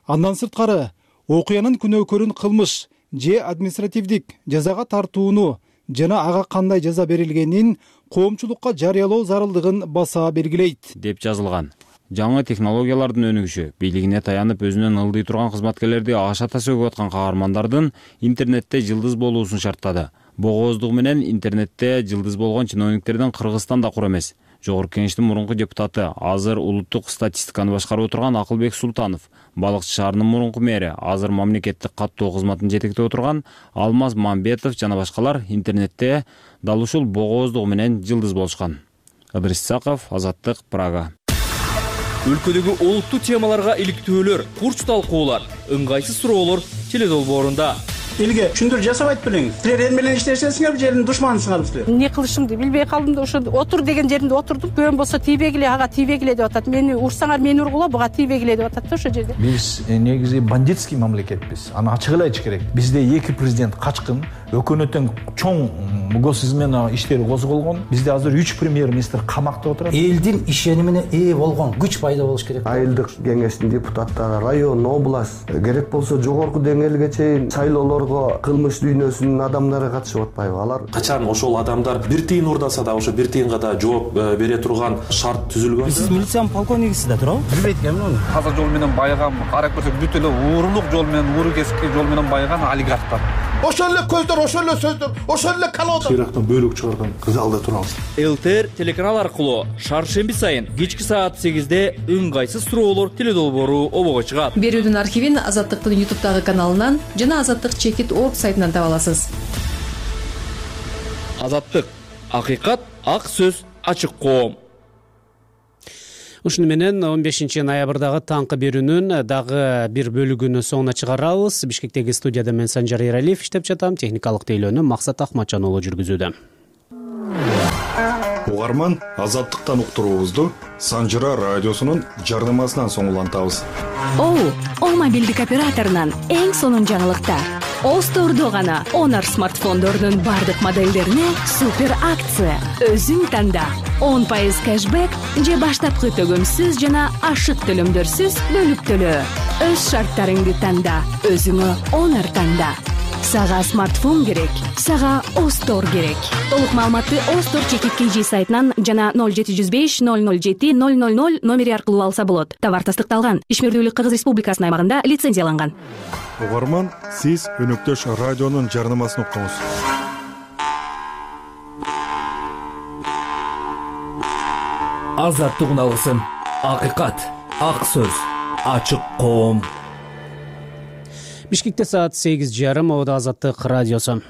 Андан сырткары окуянын күнөөкөрүн кылмыш же административдик жазага тартууну жана ага кандай жаза берилгенин коомчулукка жарыялоо зарылдыгын баса белгилейт
деп жазылган. Жаңы технологиялардын өнүгүшү бийлигине таянып өзүнөн ылдый турган кызматкерлерди ашата сөгүп аткан каармандардын интернетте жылдыз болуусун шарттады. Богооздугу менен интернетте жылдыз болгон чиновниктердин Кыргызстан да кур эмес. Жогорку кеңештин мурунку депутаты, азыр улуттук статистиканы башкарып отурган Акылбек Султанов, Балыкчы шаарынын мурунку мэри, азыр мамлекеттик каттоо кызматын жетектеп отурган Алмаз Мамбетов жана башкалар интернетте дал ушул богооздугу менен жылдыз болушкан. Адрас Исаков, Азаттык, Прага.
Өлкөдөгү олуттуу темаларга иликтөөлөр, курч талкуулар, ыңгайсыз суроолор теледолбоорунда.
Элге түшүндүрүү жасап айтып бериңиз. Силер эл менен иштешесиңер, жердин душманысыңар силер.
Эмне кылышымды билбей калдым да ошо отур деген жеринде отурдум. Көөм болсо тийбегиле, ага тийбегиле деп атат. Мени урсаңар мени ургула, буга тийбегиле деп атат да ошо жерде.
Биз негизи бандитский мамлекетпиз. Аны ачык эле айтыш керек. Бизде эки президент качкын, өкмөттүн чоң госизмена иштери козголгон. Бизде азыр 3 премьер-министр камакта отурат.
Элдин ишенимине ээ болгон күч пайда болуш керек.
Айылдык кеңештин депутаттары, район, область, керек болсо жогорку деңгээлге чейин шайлоолорго кылмыш дүйнөсүнүн адамдары катышып атпайбы? Алар
качан ошол адамдар бир тыйын урдаса да ошо бир тыйынга да жооп бере турган шарт түзүлгөн.
Сиз милициянын полковнигисиз да туурабы?
Билбейт экенмин аны.
Таза жол менен байыган, карап көрсөк бүт эле уурулук жол менен, ууру кесипки жол менен байыган олигархтар.
Ошол эле көздөр, ошол эле сөздөр, ошол эле колода.
Сыйрактан бөлүк чыгарган залда турабыз.
ЛТР телеканал аркылуу шаршемби сайын кечки саат 8-де ыңгайсыз суроолор теледолбоору обого чыгат.
Берүүдүн архивин Азаттыктын YouTube'дагы каналынан жана Азаттык _org сайтынан таба аласыз.
Азаттык, акыйкат, ак сөз, ачык коом.
Ушуну менен 15 ноябрдагы таңкы берүүнүн дагы бир бөлүгүнүн соңуна чыгарабыз. Бишкектеги студияда мен Санжар Эралиев иштеп жатам. Техникалык тейлөөнү Максат Ахматжан уулу жүргүзүүдө.
Угарман Азаттыктан уктуруубузду Санжара радиосунун жардамасынан соң улантабыз.
О мобилдик операторунан эң сонун жаңылыктар. Остордо гана Honor смартфондордун бардык модельдерине супер акция. Өзүң танда 10% кэшбэк же баштапкы төгөмсүз жана ашык төлөмдөрсүз бөлүп төлөө. Өз шарттарыңды танда, өзүңө Honor танда. Сага смартфон керек, сага Остор керек. Толук маалыматты Остор /KG сайтынан жана 0705 007 000 номери аркылуу алса болот. Товар тастыкталган. Ишмердүүлүк Кыргыз Республикасынын аймагында лицензияланган.
Угарман, сиз өнөктөш радионун жарнамасын уктуңуз.
Азаттык алгысым, акыйкат, ак сөз, ачык коом.
Бишкекте саат 8:30, Ода Азаттык радиосу.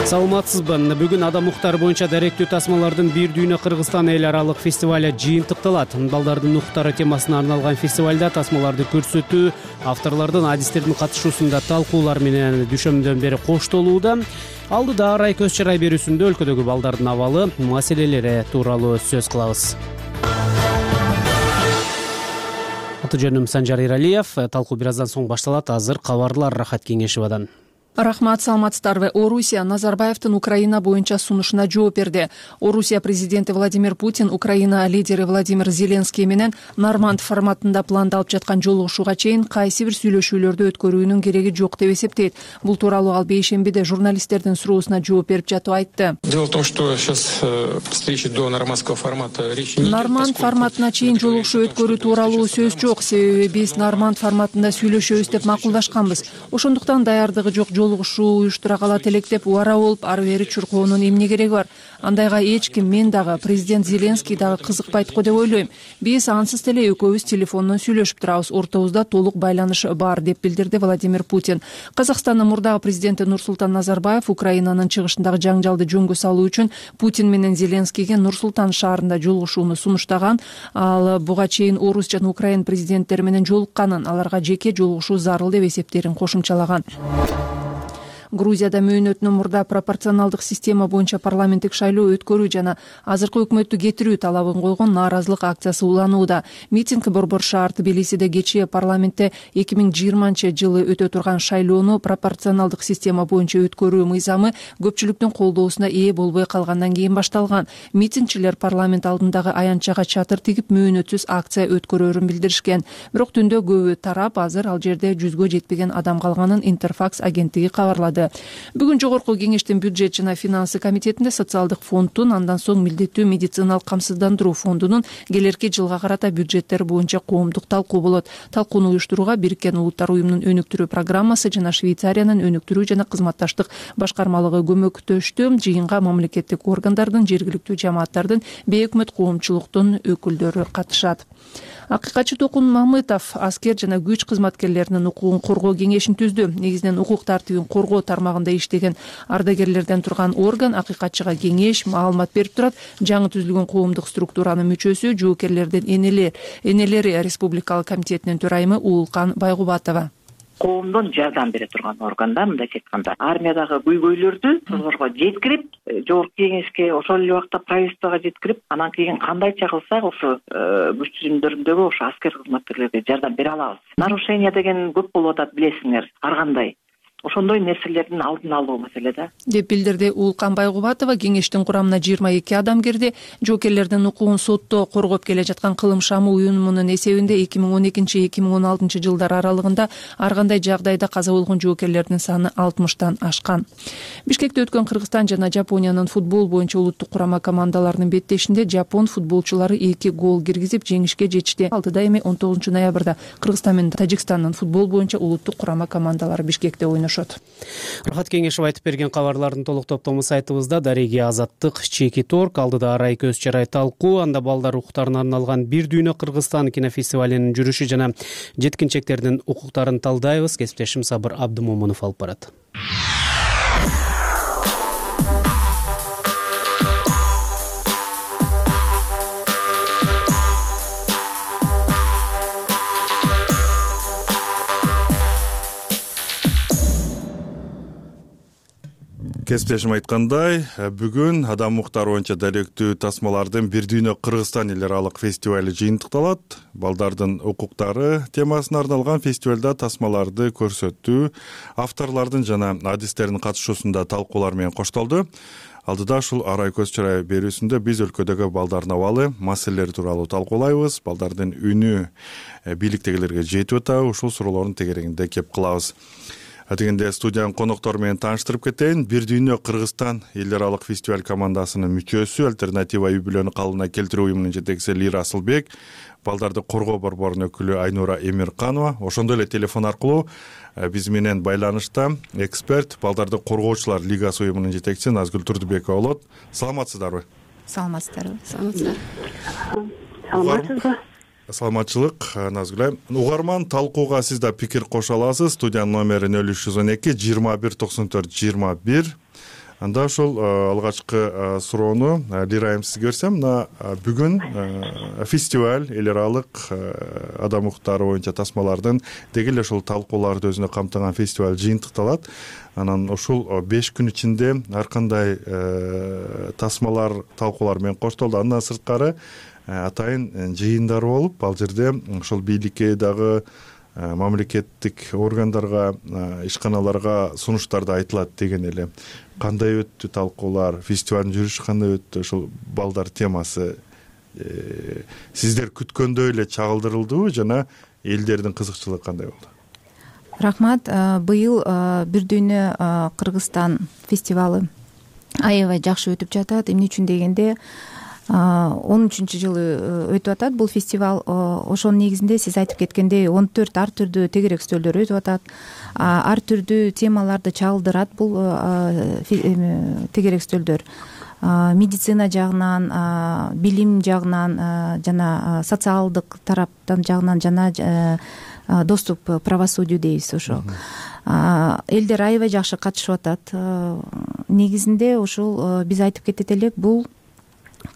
Саламатсызбы? Бүгүн адам укуктары боюнча даректүү тасмалардын бир дүйнө Кыргызстан эл аралык фестивалы жыйынтыкталат. Балдардын укуктары темасына арналган фестивалда тасмаларды көрсөтүү, авторлордун, адистердин катышуусунда талкуулар менен дүшөмдөн бери коштолууда. Алдыда арай көз чарай берүүсүндө өлкөдөгү балдардын абалы, маселелери тууралуу сөз кылабыз. Аты жөнүм Санжар Иралиев. Талкуу бир аздан соң башталат. Азыр кабарлар Рахат Кеңешевадан.
Рахмат, саламатсыздарбы. Орусия Назарбаевдин Украина боюнча сунушуна жооп берди. Орусия президенти Владимир Путин Украина лидери Владимир Зеленский менен Норманд форматында пландалып жаткан жолугушууга чейин кайсы бир сүйлөшүүлөрдү өткөрүүнүн кереги жок деп эсептейт. Бул тууралуу ал бейшембиде журналисттердин суроосуна жооп берип жатып айтты.
Дело в том, что сейчас встречи до нормандского формата речи не идет.
Норманд форматына чейин жолугушуу өткөрүү тууралуу сөз жок. Себеби биз Норманд форматында сүйлөшөбүз деп макулдашканбыз. Ошондуктан даярдыгы жок жолугушуу уюштура калат элек деп убара болуп ары бери чуркоонун эмне кереги бар? Андайга эч ким, мен дагы, президент Зеленский дагы кызыкпайт го деп ойлойм. Биз ансыз деле экөөбүз телефондон сүйлөшүп турабыз. Ортобузда толук байланыш бар, деп билдирди Владимир Путин. Казакстандын мурдагы президенти Нурсултан Назарбаев Украинанын чыгышындагы жаңжалды жөнгө салуу үчүн Путин менен Зеленскийге Нур-Султан шаарында жолугушууну сунуштаган. Ал буга чейин Орус жана Украин президенттери менен жолукканын, аларга жеке жолугушуу зарыл деп эсептерин кошумчалаган. Грузияда мөөнөтүнөн мурда пропорционалдык система боюнча парламенттик шайлоо өткөрүү жана азыркы өкмөттү кетирүү талабын койгон нааразылык акциясы уланууда. Митинг Борбор шаар Тбилисиде кечээ парламентте 2020-жылы өтө турган шайлоону пропорционалдык система боюнча өткөрүү мыйзамы көпчүлүктүн колдоосуна ээ болбой калгандан кийин башталган. Митингчилер парламент алдындагы аянтчага чатыр тигип мөөнөтсүз акция өткөрөөрүн билдиришкен. Бирок түндө көбү тарап азыр ал жерде 100гө жетпеген адам калганын Интерфакс агенттиги кабарлады. Бүгүн жогорку кеңештин бюджет жана финансы комитетинде социалдык фонддун, андан соң милдеттүү медициналык камсыздандыруу фондунун келерки жылга карата бюджеттери боюнча коомдук талкуу болот. Талкууну уюштурууга Бириккен Улуттар уюмунун өнүктүрүү программасы жана Швейцариянын өнүктүрүү жана кызматташтык башкармалыгы көмөктөштү. Жыйынга мамлекеттик органдардын, жергиликтүү жамааттардын, бейөкмөт коомчулуктун өкүлдөрү катышат. Акыйкатчы Токун Мамытов аскер жана күч кызматкерлеринин укугун коргоо кеңешин түздү. Негизинен укук тартибин коргоо тармагында иштеген ардагерлерден турган орган акыйкатчыга кеңеш, маалымат берип турат. Жаңы түзүлгөн коомдук структуранын мүчөсү, жоокерлердин энелери Республикалык комитетинин төрайымы Уулкан Байгубатова.
Коомдон жардам бере турган органда, мындайча айтканда, армиядагы көйгөйлөрдү созорго жеткирип, жогорку кеңешке, ошол эле убакта правительствого жеткирип, анан кийин кандайча кылсак ошо күч түзүмдөрүндөгү ошо аскер кызматкерлерге жардам бере алабыз. Нарушение деген көп болуп атат, билесиңер, ар кандай. Ошондой нерселердин алдын алуу маселе да,
деп билдирди Уулкан Байгубатова. Кеңештин курамына 22 адам кирди. Жоокерлердин укугун сотто коргоп келе жаткан Кылым шамы уюмунун эсебинде 2012-2016 жылдар аралыгында ар кандай жагдайда каза болгон жоокерлердин саны 60тан ашкан. Бишкекте өткөн Кыргызстан жана Жапониянын футбол боюнча улуттук курама командаларынын беттешинде жапон футболчулары 2 гол киргизип жеңишке жетишти. Алдыда эми 19 ноябрда Кыргызстан менен Тажикстандын футбол боюнча улуттук курама командалары Бишкекте ойношот.
Рахат Кеңешев айтып берген кабарлардын толук топтому сайтыбызда. Дареги Азаттык, Чеки Торг, алдыда арай көз чарай талкуу, анда балдар укуктарына арналган бир дүйнө Кыргызстан кинофестивалинин жүрүшү жана жеткинчектердин укуктарын талдайбыз. Кесиптешим Сабыр Абдымомунов алып барат.
Кесиптешим айткандай, бүгүн адам укуктары боюнча даректүү тасмалардын бир дүйнө Кыргызстан эл аралык фестивалы жыйынтыкталат. Балдардын укуктары темасына арналган фестивалда тасмаларды көрсөтүү, авторлордун жана адистердин катышуусунда талкуулар менен коштолду. алдыда ушул арай көз чырай берүүсүндө биз өлкөдөгү балдардын абалы маселелери тууралуу талкуулайбыз. Балдардын үнү бийликтегилерге жетип атабы? Ушул суроолордун тегерегинде кеп кылабыз. Дегенде студиянын коноктору менен тааныштырып кетейин. Бир дүйнө Кыргызстан эл аралык фестиваль командасынын мүчөсү, Альтернатива үй бүлөнү калыбына келтирүү уюмунун жетекчиси Лира Асылбек, балдарды коргоо борборунун өкүлү Айнура Эмирканова, ошондой эле телефон аркылуу биз менен байланышта эксперт, балдарды коргоочулар лигасы уюмунун жетекчиси Назгүл Турдубекова болот. Саламатсыздарбы?
Саламатсыздарбы?
Саламатсызбы? Саламатчылык, Назгүл айым. Угарман талкууга сиз да пикир кошо аласыз. Студиянын номери 0312 21 94 21. Анда ошол алгачкы суроону Лира айым сизге берсем, мына бүгүн фестиваль эл аралык адам укуктары боюнча тасмалардын деги эле ушул талкууларды өзүнө камтыган фестиваль жыйынтыкталат. Анан ушул 5 күн ичинде ар кандай тасмалар, талкуулар менен коштолду. Андан сырткары атайын жыйындар болуп, ал жерде ошол бийликке дагы мамлекеттик органдарга, ишканаларга сунуштарды айтылат деген эле. Кандай өттү талкуулар, фестивалдын жүрүшү кандай өттү, ошол балдар темасы сиздер күткөндөй эле чагылдырылдыбы жана элдердин кызыкчылыгы кандай болду?
Рахмат. Быйыл Бир дүйнө Кыргызстан фестивалы аябай жакшы өтүп жатат. Эмне үчүн дегенде 13-жылы өтүп атат бул фестиваль. Ошонун негизинде сиз айтып кеткендей 14 ар түрдүү тегерек стөлдөр өтүп атат. Ар түрдүү темаларды чагылдырат бул тегерек стөлдөр. Медицина жагынан, билим жагынан жана социалдык тараптан жагынан жана доступ к правосудию дейбиз ошо. Элдер аябай жакшы катышып атат. Негизинде ушул биз айтып кетет элек, бул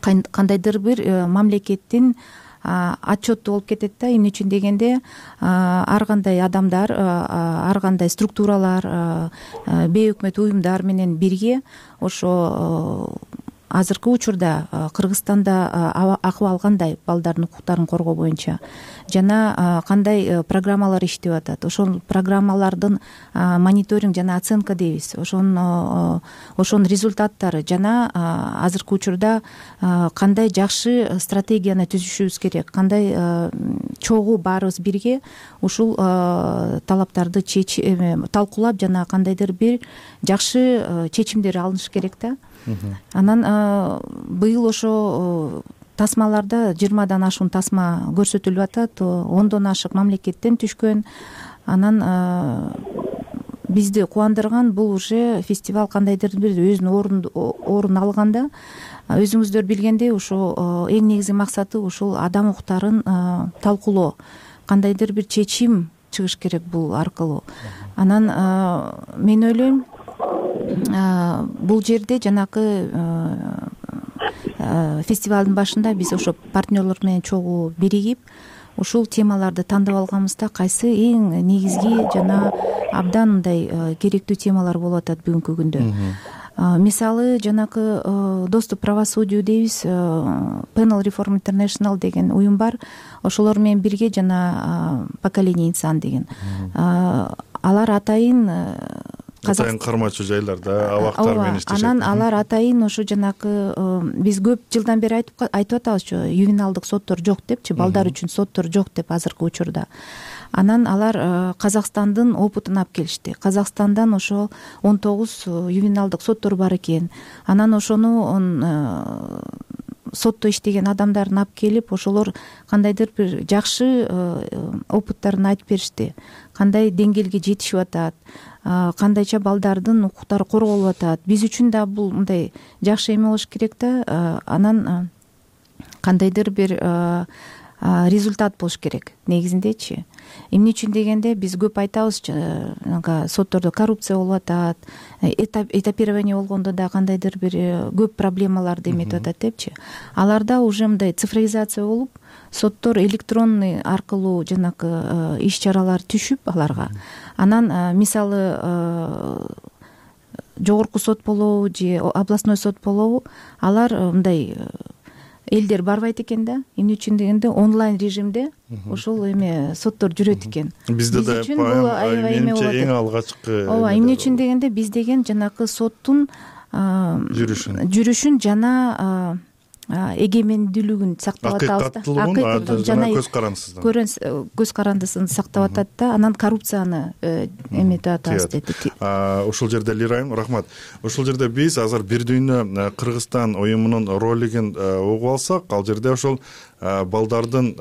кандайдыр бир мамлекеттин отчету болуп кетет да. Эмне үчүн дегенде ар кандай адамдар, ар кандай структуралар, бейөкмөт уюмдар менен бирге ошо азыркы учурда Кыргызстанда акыбал кандай балдардын укуктарын коргоо боюнча жана кандай программалар иштеп атат, ошол программалардын мониторинг жана оценка дейбиз, ошонун результаттары жана азыркы учурда кандай жакшы стратегияны түзүшүбүз керек, кандай чогуу баарыбыз бирге ушул талаптарды талкуулап жана кандайдыр бир жакшы чечимдер алыныш керек да. Анан быйыл ошо тасмаларда 20дан ашуун тасма көрсөтүлүп атат, 10дон ашык мамлекеттен түшкөн. Анан бизди кубандырган бул уже фестиваль кандайдыр бир өзүнүн орун алганда. Өзүңүздөр билгендей, ошо эң негизги максаты ушул адам укуктарын талкуулоо, кандайдыр бир чечим чыгыш керек бул аркылуу. Анан мен ойлойм, бул жерде жанакы фестивалдын башында биз ошо партнерлор менен чогуу биригип ушул темаларды тандап алганбызда кайсы эң негизги жана абдан мындай керектүү темалар болуп атат бүгүнкү күндө. Мисалы жанакы доступ к правосудию дейбиз, Panel Reform International деген уюм бар. Ошолор менен бирге жана поколение инсан деген. Алар атайын
кармачу жайларда абактар менен иштешет.
Анан алар атайын ошо жанакы биз көп жылдан бери айтып атабызчы, ювеналдык соттор жок депчи, балдар үчүн соттор жок деп азыркы учурда. Анан алар Казакстандын опытын алып келишти. Казакстандан ошо 19 ювеналдык соттор бар экен. Анан ошону сотто иштеген адамдарын алып келип, ошолор кандайдыр бир жакшы опыттарын айтып беришти. Кандай деңгээлге жетишип атат, кандайча балдардын укуктары корголуп атат. Биз үчүн да бул мындай жакшы эме болуш керек да. Анан кандайдыр бир результат болуш керек негизиндечи. Эмне үчүн дегенде биз көп айтабызчы, соттордо коррупция болуп атат, этапирование болгондо да кандайдыр бир көп проблемаларды эметип атат депчи. Аларда уже мындай цифровизация болуп, соттор электронный аркылуу жанакы иш чаралар түшүп аларга. Анан мисалы жогорку сот болобу же областной сот болобу, алар мындай элдер барбайт экен да. Эмне үчүн дегенде онлайн режимде ошол эме соттор жүрөт экен.
Бизде да менимче эң алгачкы.
Ооба, эмне үчүн дегенде биз деген жанакы соттун жүрүшүн жана эгемендүүлүгүн сактап атабыз да,
жана
көз карандысын сактап атат да, анан коррупцияны эметип атабыз деди.
Ушул жерде Лирайым, рахмат. Ушул жерде биз азыр Бир дүйнө Кыргызстан уюмунун ролигин угуп алсак, ал жерде ошол балдардын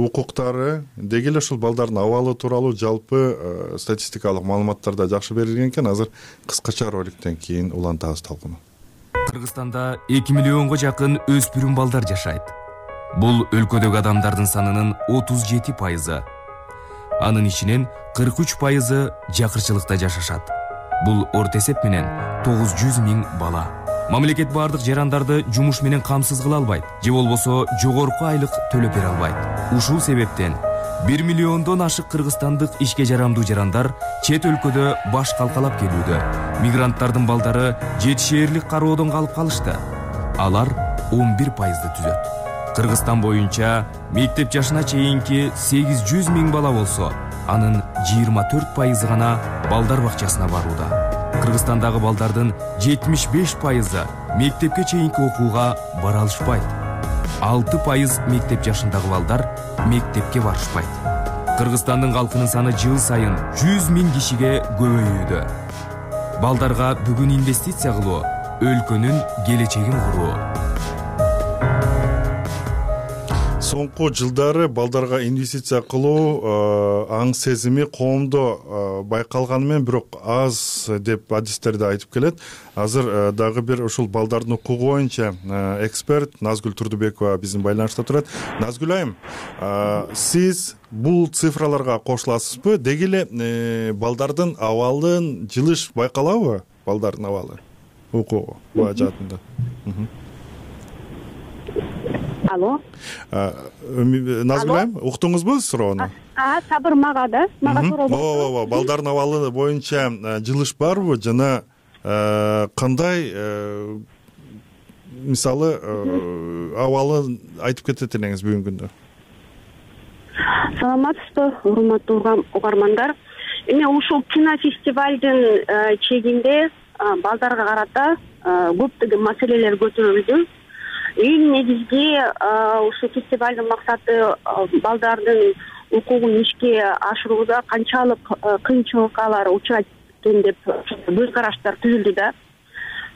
укуктары, деги эле ушул балдардын абалы тууралуу жалпы статистикалык маалыматтар да жакшы берилген экен. Азыр кыскача роликтен кийин улантабыз талкууну.
Кыргызстанда 2 миллионго жакын өспүрүм балдар жашайт. Бул өлкөдөгү адамдардын санынын 37%. Анын ичинен 43% жакырчылыкта жашашат. Бул орто эсеп менен 900 000 бала. Мамлекет бардык жарандарды жумуш менен камсыз кыла албайт, же болбосо жогорку айлык төлөп бере албайт. Ушул себептен 1 миллиондон ашык кыргызстандык ишке жарамдуу жарандар чет өлкөдө баш калкалап келүүдө. Мигранттардын балдары жетишээрлик кароодон калып калышты. Алар 11%ды түзөт. Кыргызстан боюнча мектеп жашына чейинки 800 000 бала болсо, анын 24% гана балдар бакчасына барууда. Кыргызстандагы балдардын 75% мектепке чейинки окууга бара алышпайт. 6% мектеп жашындагы балдар мектепке барышпайт. Кыргызстандын калкынын саны жыл сайын 100 000 кишиге көбөйүүдө. Балдарга бүгүн инвестиция кылуу, өлкөнүн келечегин куруу.
Соңку жылдары балдарга инвестиция кылуу аң сезими коомдо байкалганы менен бирок аз деп адистерде айтып келет. Азыр дагы бир ушул балдардын укугу боюнча эксперт Назгүл Турдубекова биздин байланышта турат. Назгүл айым, сиз бул цифраларга кошуласызбы? Деги эле балдардын абалын жылыш байкалабы? Балдардын абалы укугу буга жаатында.
Алло.
Назгүл айым, уктуңузбу суроону?
Сабыр мага да. Мага суроо.
Ооба, балдардын абалы боюнча жылыш барбы жана кандай мисалы абалы айтып кетет элеңиз бүгүнкү күндө?
Саламатсызбы, урматтуу угармандар. Эми ушул кинофестивалдын чегинде балдарга карата көптөгөн маселелер көтөрүлдү. Эң негизги ушул фестивалдын максаты балдардын укугун ишке ашырууда канчалык кыйынчылыкка учурайт экен деп көз караштар түзүлдү да.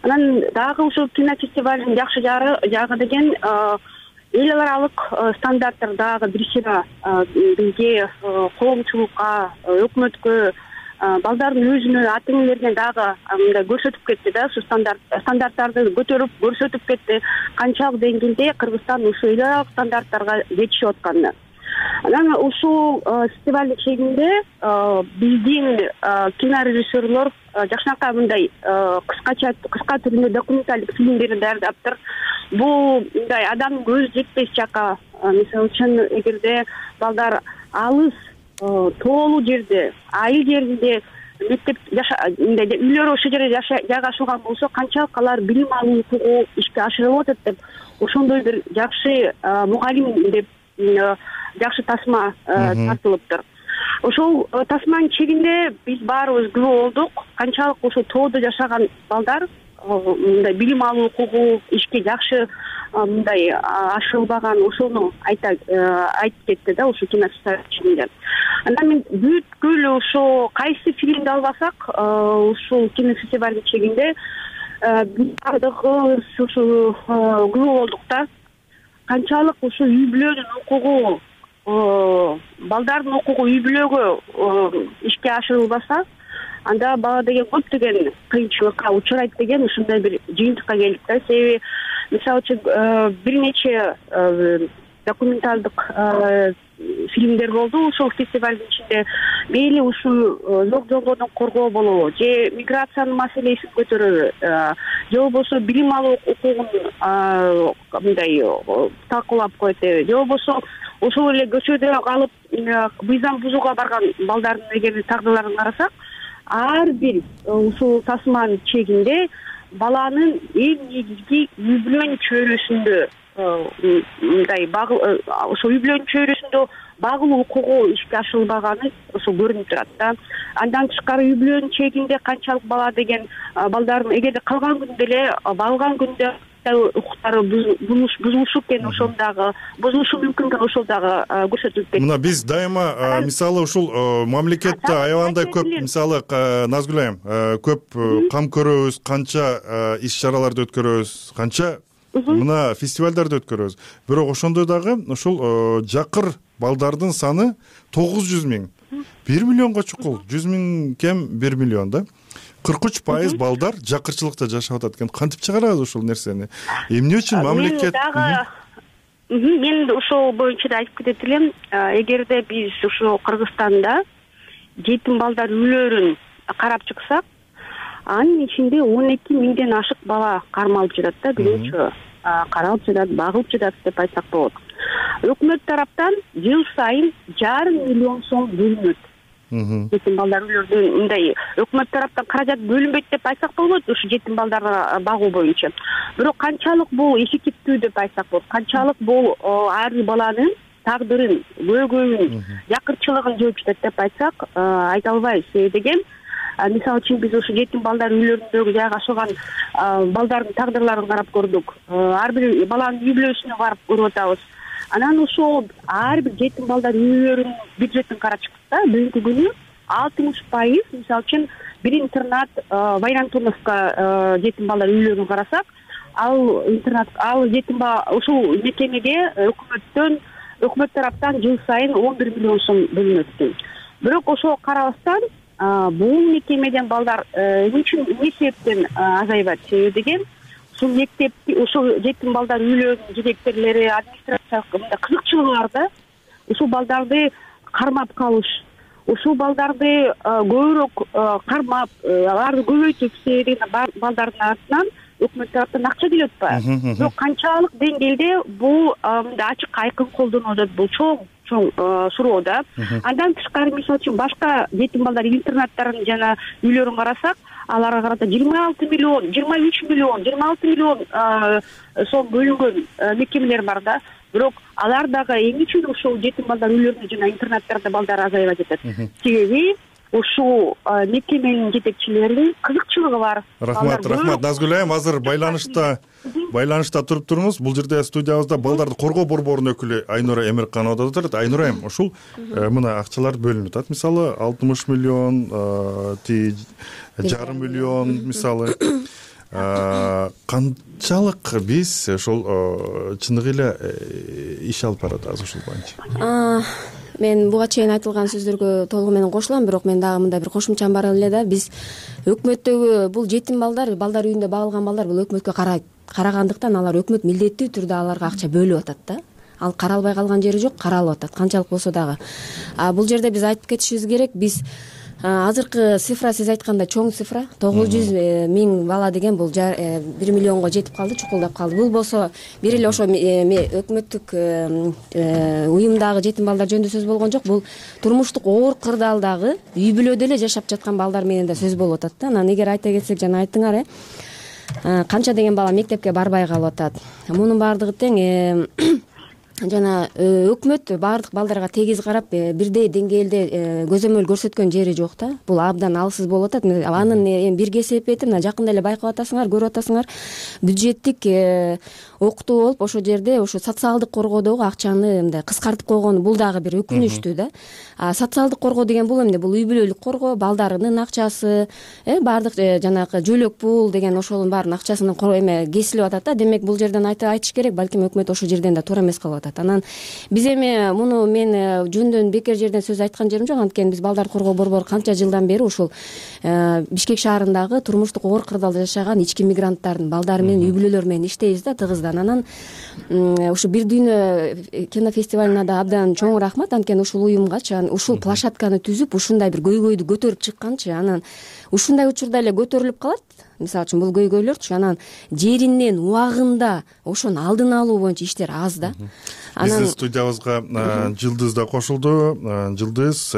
Анан дагы ушул кинофестивалдын жакшы жагы деген эл аралык стандарттар дагы бир сыйра бизге коомчулукка, өкмөткө, балдардын өзүнө, ата энелерине дагы мындай көрсөтүп кетти да, ушу стандарттарды көтөрүп көрсөтүп кетти, канчалык деңгээлде Кыргызстан ушул эл аралык стандарттарга жетишип атканын. Анан ушул фестивалдын чегинде биздин кинорежиссерлор жакшынакай мындай кыска түрүндө документалдык фильмдерди даярдаптыр. Бул мындай адамдын көзү жетпес жака, мисалы үчүн эгерде балдар алыс тоолуу жерде, айыл жеринде мектеп мындай үйлөрү ошол жерде жайгашылган болсо, канчалык алар билим алуу укугу ишке ашырылып атат деп, ошондой бир жакшы мугалим деп жакшы тасма тартылыптыр. Ошол тасманын чегинде биз баарыбыз күбө болдук, канчалык ошо тоодо жашаган балдар мындай билим алуу укугу ишке жакшы мындай ашырылбаган, ошону айтып кетти да ушул кинофестиваль чегинде. Анан мен бүткүл ошо кайсы фильмди албасак, ушул кинофестиваль чегинде биз бардыгыбыз ушул күбө болдук да. Канчалык ушул үй бүлөнүн укугу, балдардын укугу үй бүлөгө ишке ашырылбаса, анда бала деген көптөгөн кыйынчылыкка учурайт деген ушундай бир жыйынтыкка келдик да. Себеби мисалы үчүн бир нече документалдык фильмдер болду ушул фестивалдын ичинде. Мейли ушул зок жолбордун коргоо болобу, же миграциянын маселесин көтөрөбү, же болбосо билим алуу укугун мындай талкуулап коет, же болбосо ошол эле көчөдө калып мыйзам бузууга барган балдардын эгер тагдырларын карасак, ар бир ушул тасманын чегинде баланын эң негизги үй бүлөнүн чөйрөсүндө мындай ошо үй бүлөнүн чөйрөсүндө багуу укугу ишке ашырылбаганы ошо көрүнүп турат да. Андан тышкары үй бүлөнүн чегинде канчалык бала деген балдардын эгерде калган күндө эле багылган күндө укуктары бузулушу экен, ошол дагы бузулушу мүмкүн экен, ошол дагы көрсөтүлүп кетти.
Мына биз дайыма мисалы ушул мамлекетте аябандай көп, мисалы Назгүл айым, көп кам көрөбүз, канча иш чараларды өткөрөбүз, канча мына фестивалдарды өткөрөбүз. Бирок ошондой дагы ушул жакыр балдардын саны 900 миң. 1 миллионго чукул, 100 миң кем 1 миллион да. 43% балдар жакырчылыкта жашап атат экен. Кантип чыгарабыз ушул нерсени? Эмне үчүн мамлекет?
Мен ошол боюнча да айтып кетет элем. Эгерде биз ушул Кыргызстанда жетим балдар үйлөрүн карап чыксак, анын ичинде 12 миңден ашык бала кармалып жатат да, бирөөчө каралып жатат, багылып жатат деп айтсак болот. Өкмөт тараптан жыл сайын 1,5 миллион сом бөлүнөт. Жетим балдар үйлөрүнө мындай өкмөт тараптан каражат бөлүнбөйт деп айтсак болот, ушу жетим балдарды багуу боюнча. Бирок канчалык бул эффективдүү деп айтсак болот, канчалык бул ар бир баланын тагдырын, көйгөйүн, жакырчылыгын жооп жатат деп айтсак айта албайбыз. Себеби мисалы үчүн биз ушу жетим балдар үйлөрүндөгү жайгашылган балдардын тагдырларын карап көрдүк. Ар бир баланын үй бүлөсүнө барып көрүп атабыз. Анан ошол ар бир жетим балдар үйлөрүнүн бюджетин карап чыкса, бүгүнкү күнү 60%, мисалы үчүн бир интернат Вайрантуновка жетим балдар үйлөрүн карасак, ал интернат, ал жетим ушул мекемеге өкмөт тараптан жыл сайын 11 миллион сом бөлүнөт экен. Бирок ошого карабастан бул мекемеден балдар эмне себептен азайбайт? Себеби ушул мектепти, ушул жетим балдар үйлөрүнүн директорлори, администрациялык мындай кызыкчылыгы бар да. Ушул балдарды кармап калыш, ушул балдарды көбүрөөк кармап, аларды көбөйтүп балдардын артынан өкмөт тараптан акча келип атпайбы? Бирок канчалык деңгээлде бул мындай ачык айкын колдонулуп атат, бул чоң суроо да. Андан тышкары мисалы үчүн башка жетим балдар интернаттарын жана үйлөрүн карасак, аларга карата 26 миллион, 23 миллион, 26 миллион сом бөлүнгөн мекемелер бар да. Бирок алар дагы эмне үчүн ушул жетим балдар үйлөрүндө жана интернаттарда балдар азайбай жатат? Себеби ушул мекеменин жетекчилеринин кызыкчылыгы бар.
Рахмат, Назгүл айым, азыр байланышта туруп туруңуз. Бул жерде студиябызда балдарды коргоо борборунун өкүлү Айнура Эмирканова да отурат. Айнура айым, ушул мына акчалар бөлүнүп атат. Мисалы 60 миллион, 1,5 миллион мисалы. Канчалык биз ошол чыныгы эле иш алып баратабыз ушул боюнча?
Мен буга чейин айтылган сөздөргө толугу менен кошулам, бирок мен дагы мындай бир кошумчам бар эле да. Биз өкмөттөгү бул жетим балдар үйүндө багылган балдар бул өкмөткө карагандыктан алар өкмөт милдеттүү түрдө аларга акча бөлүп атат да. Ал каралбай калган жери жок, каралып атат канчалык болсо дагы. Бул жерде биз айтып кетишибиз керек, биз азыркы цифра, сиз айткандай чоң цифра, 900 миң бала деген бул 1 миллионго жетип калды, чукулдап калды. Бул болсо бир эле ошо өкмөттүк уюмдагы жетим балдар жөнүндө сөз болгон жок. Бул турмуштук оор кырдаалдагы үй бүлөдө эле жашап жаткан балдар менен да сөз болуп атат да. Анан эгер айта кетсек, жана айттыңар, канча деген бала мектепке барбай калып атат. Мунун баардыгы тең жана өкмөт баардык балдарга тегиз карап бирдей деңгээлде көзөмөл көрсөткөн жери жок да. Бул абдан алсыз болуп атат. Анын бирге себеби мына жакында эле байкап атасыңар, көрүп атасыңар, бюджеттик окутуу болуп ошол жерде ошо социалдык коргоодогу акчаны мындай кыскартып койгону бул дагы бир өкүнүчтүү да. Социалдык коргоо деген бул эмне? Бул үй бүлөлүк коргоо, балдарынын акчасы, баардык жанагы жөлөк пул деген ошонун баарынын акчасынан кесилип атат да. Демек бул жерден айтыш керек, балким өкмөт ошол жерден да туура эмес кылып атат. Анан биз муну мен жөндөн бекер жерден сөз айткан жерим жок. Анткени биз балдар коргоо борбору канча жылдан бери ушул Бишкек шаарындагы турмуштук оор кырдаалда жашаган ички мигранттардын балдары менен үй бүлөлөр менен иштейбиз да, тыгыздан. Анан ушу бир дүйнө кинофестивалына да абдан чоң рахмат. Анткени ушул уюмгачы, ушул площадканы түзүп, ушундай бир көйгөйдү көтөрүп чыкканчы. Анан ушундай учурда эле көтөрүлүп калат. Мисалы үчүн бул көйгөйлөрчү, анан жеринен убагында ошонун алдын алуу боюнча иштер аз да.
Биздин студиябызга Жылдыз да кошулду. Жылдыз,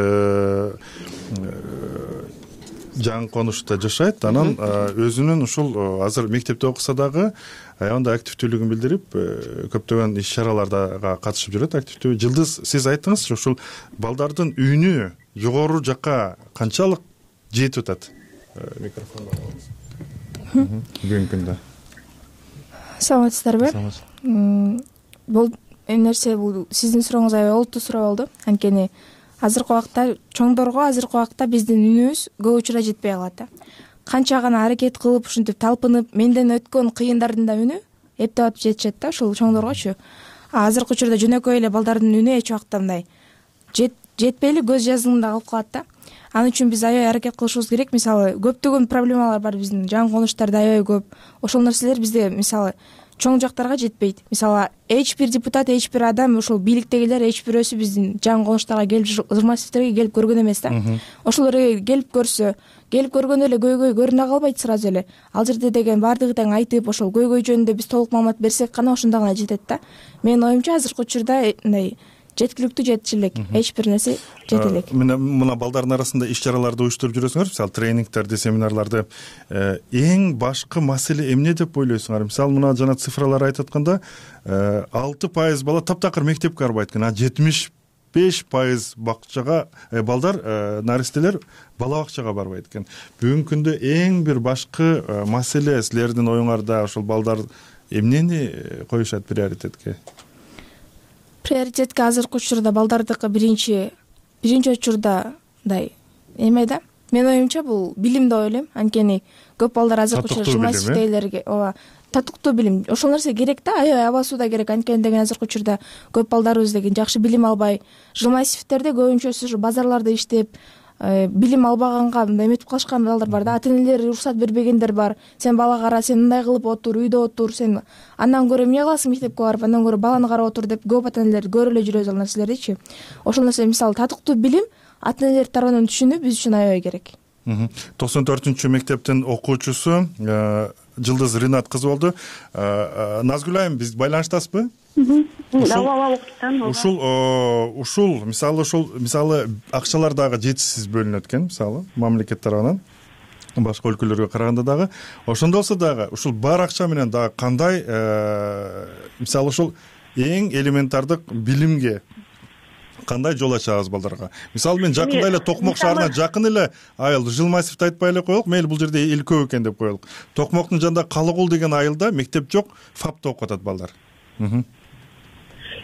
жаңы конушта жашайт, анан өзүнүн ушул азыр мектепте окуса дагы аябында активдүүлүгүн билдирип, көптөгөн иш чараларга катышып жүрөт активдүү. Жылдыз, сиз айттыңызчы, ушул балдардын үнү жогору жакка канчалык жетип атат? Микрофонду алыңыз. Бүгүнкү күндө.
Саламатсыздарбы? Бул нерсе, бул сиздин сурооңуз аябай олуттуу суроо болду. Анткени азыркы убакта чоңдорго биздин үнүбүз көп учурда жетпей калат да. Канча гана аракет кылып, ушинтип талпынып, менден өткөн кыйындардын да үнү эптеп атып жетишет да, ушул чоңдоргочу. Азыркы учурда жөнөкөй эле балдардын үнү эч убакта мындай жетпей эле көз жазымында калып калат да. Анын үчүн биз аябай аракет кылышыбыз керек. Мисалы, көптөгөн проблемалар бар биздин жаңы конуштарда аябай көп. Ошол нерселер бизде мисалы чоң жактарга жетпейт. Мисалы, эч бир депутат, эч бир адам, ушул бийликтегилер эч бирөөсү биздин жаңы конуштарга келип, журналисттерге келип көргөн эмес да. Ошолор келип көрсө, келип көргөндө эле көйгөй көрүнө калбайт сразу эле. Ал жерде деген баардыгы тең айтып, ошол көйгөй жөнүндө биз толук маалымат берсек гана ошондо гана жетет да. Менин оюмча азыркы учурда мындай жеткиликтүү жетиш элек, эч бир нерсе жете элек.
Мына балдардын арасында иш чараларды уюштуруп жүрөсүңөр, мисалы тренингтерди, семинарларды. Эң башкы маселе эмне деп ойлойсуңар? Мисалы, мына жана цифралар айтып атканда 6% бала таптакыр мектепке барбайт экен, а 75% бакчага балдар, наристелер бала бакчага барбайт экен. Бүгүнкү күндө эң бир башкы маселе силердин оюңарда ошол балдар эмнени коюшат приоритетке?
Приоритетке азыркы учурда балдардыкы биринчи учурда мындай эме да. Менин оюмча бул билим деп ойлойм. Анткени көп балдар азыркы учурда журналистикалерге татыктуу билим, ошол нерсе керек да, аябай абасуу да керек. Анткени деген азыркы учурда көп балдарыбыз деген жакшы билим албай, журналистиктерде көбүнчөсү базарларда иштеп, билим албаганга мындай эметип калышкан балдар бар да. Ата-энелери уруксат бербегендер бар. Сен бала кара, сен мындай кылып отур, үйдө отур, сен андан көрө эмне кыласың мектепке барып, андан көрө баланы карап отур деп көп ата-энелер көрүп эле жүрөбүз ал нерселердичи. Ошол нерсе мисалы татыктуу билим ата-энелер тарабынан түшүнүү биз үчүн аябай керек.
94-чү мектептин окуучусу Жылдыз Ринат кызы болду. Назгүл айым, биз байланыштасызбы? Ушул мисалы акчалар дагы жетишсиз бөлүнөт экен, мисалы мамлекет тарабынан башка өлкөлөргө караганда дагы. Ошондо болсо дагы ушул бар акча менен дагы кандай мисалы ушул эң элементардык билимге кандай жол ачабыз балдарга? Мисалы, мен жакында эле Токмок шаарына жакын эле айыл Жылмасевди айтпай эле коелук, мейли бул жерде эл көп экен деп коелук. Токмоктун жанында Калыгул деген айылда мектеп жок, ФАПта окуп атат балдар.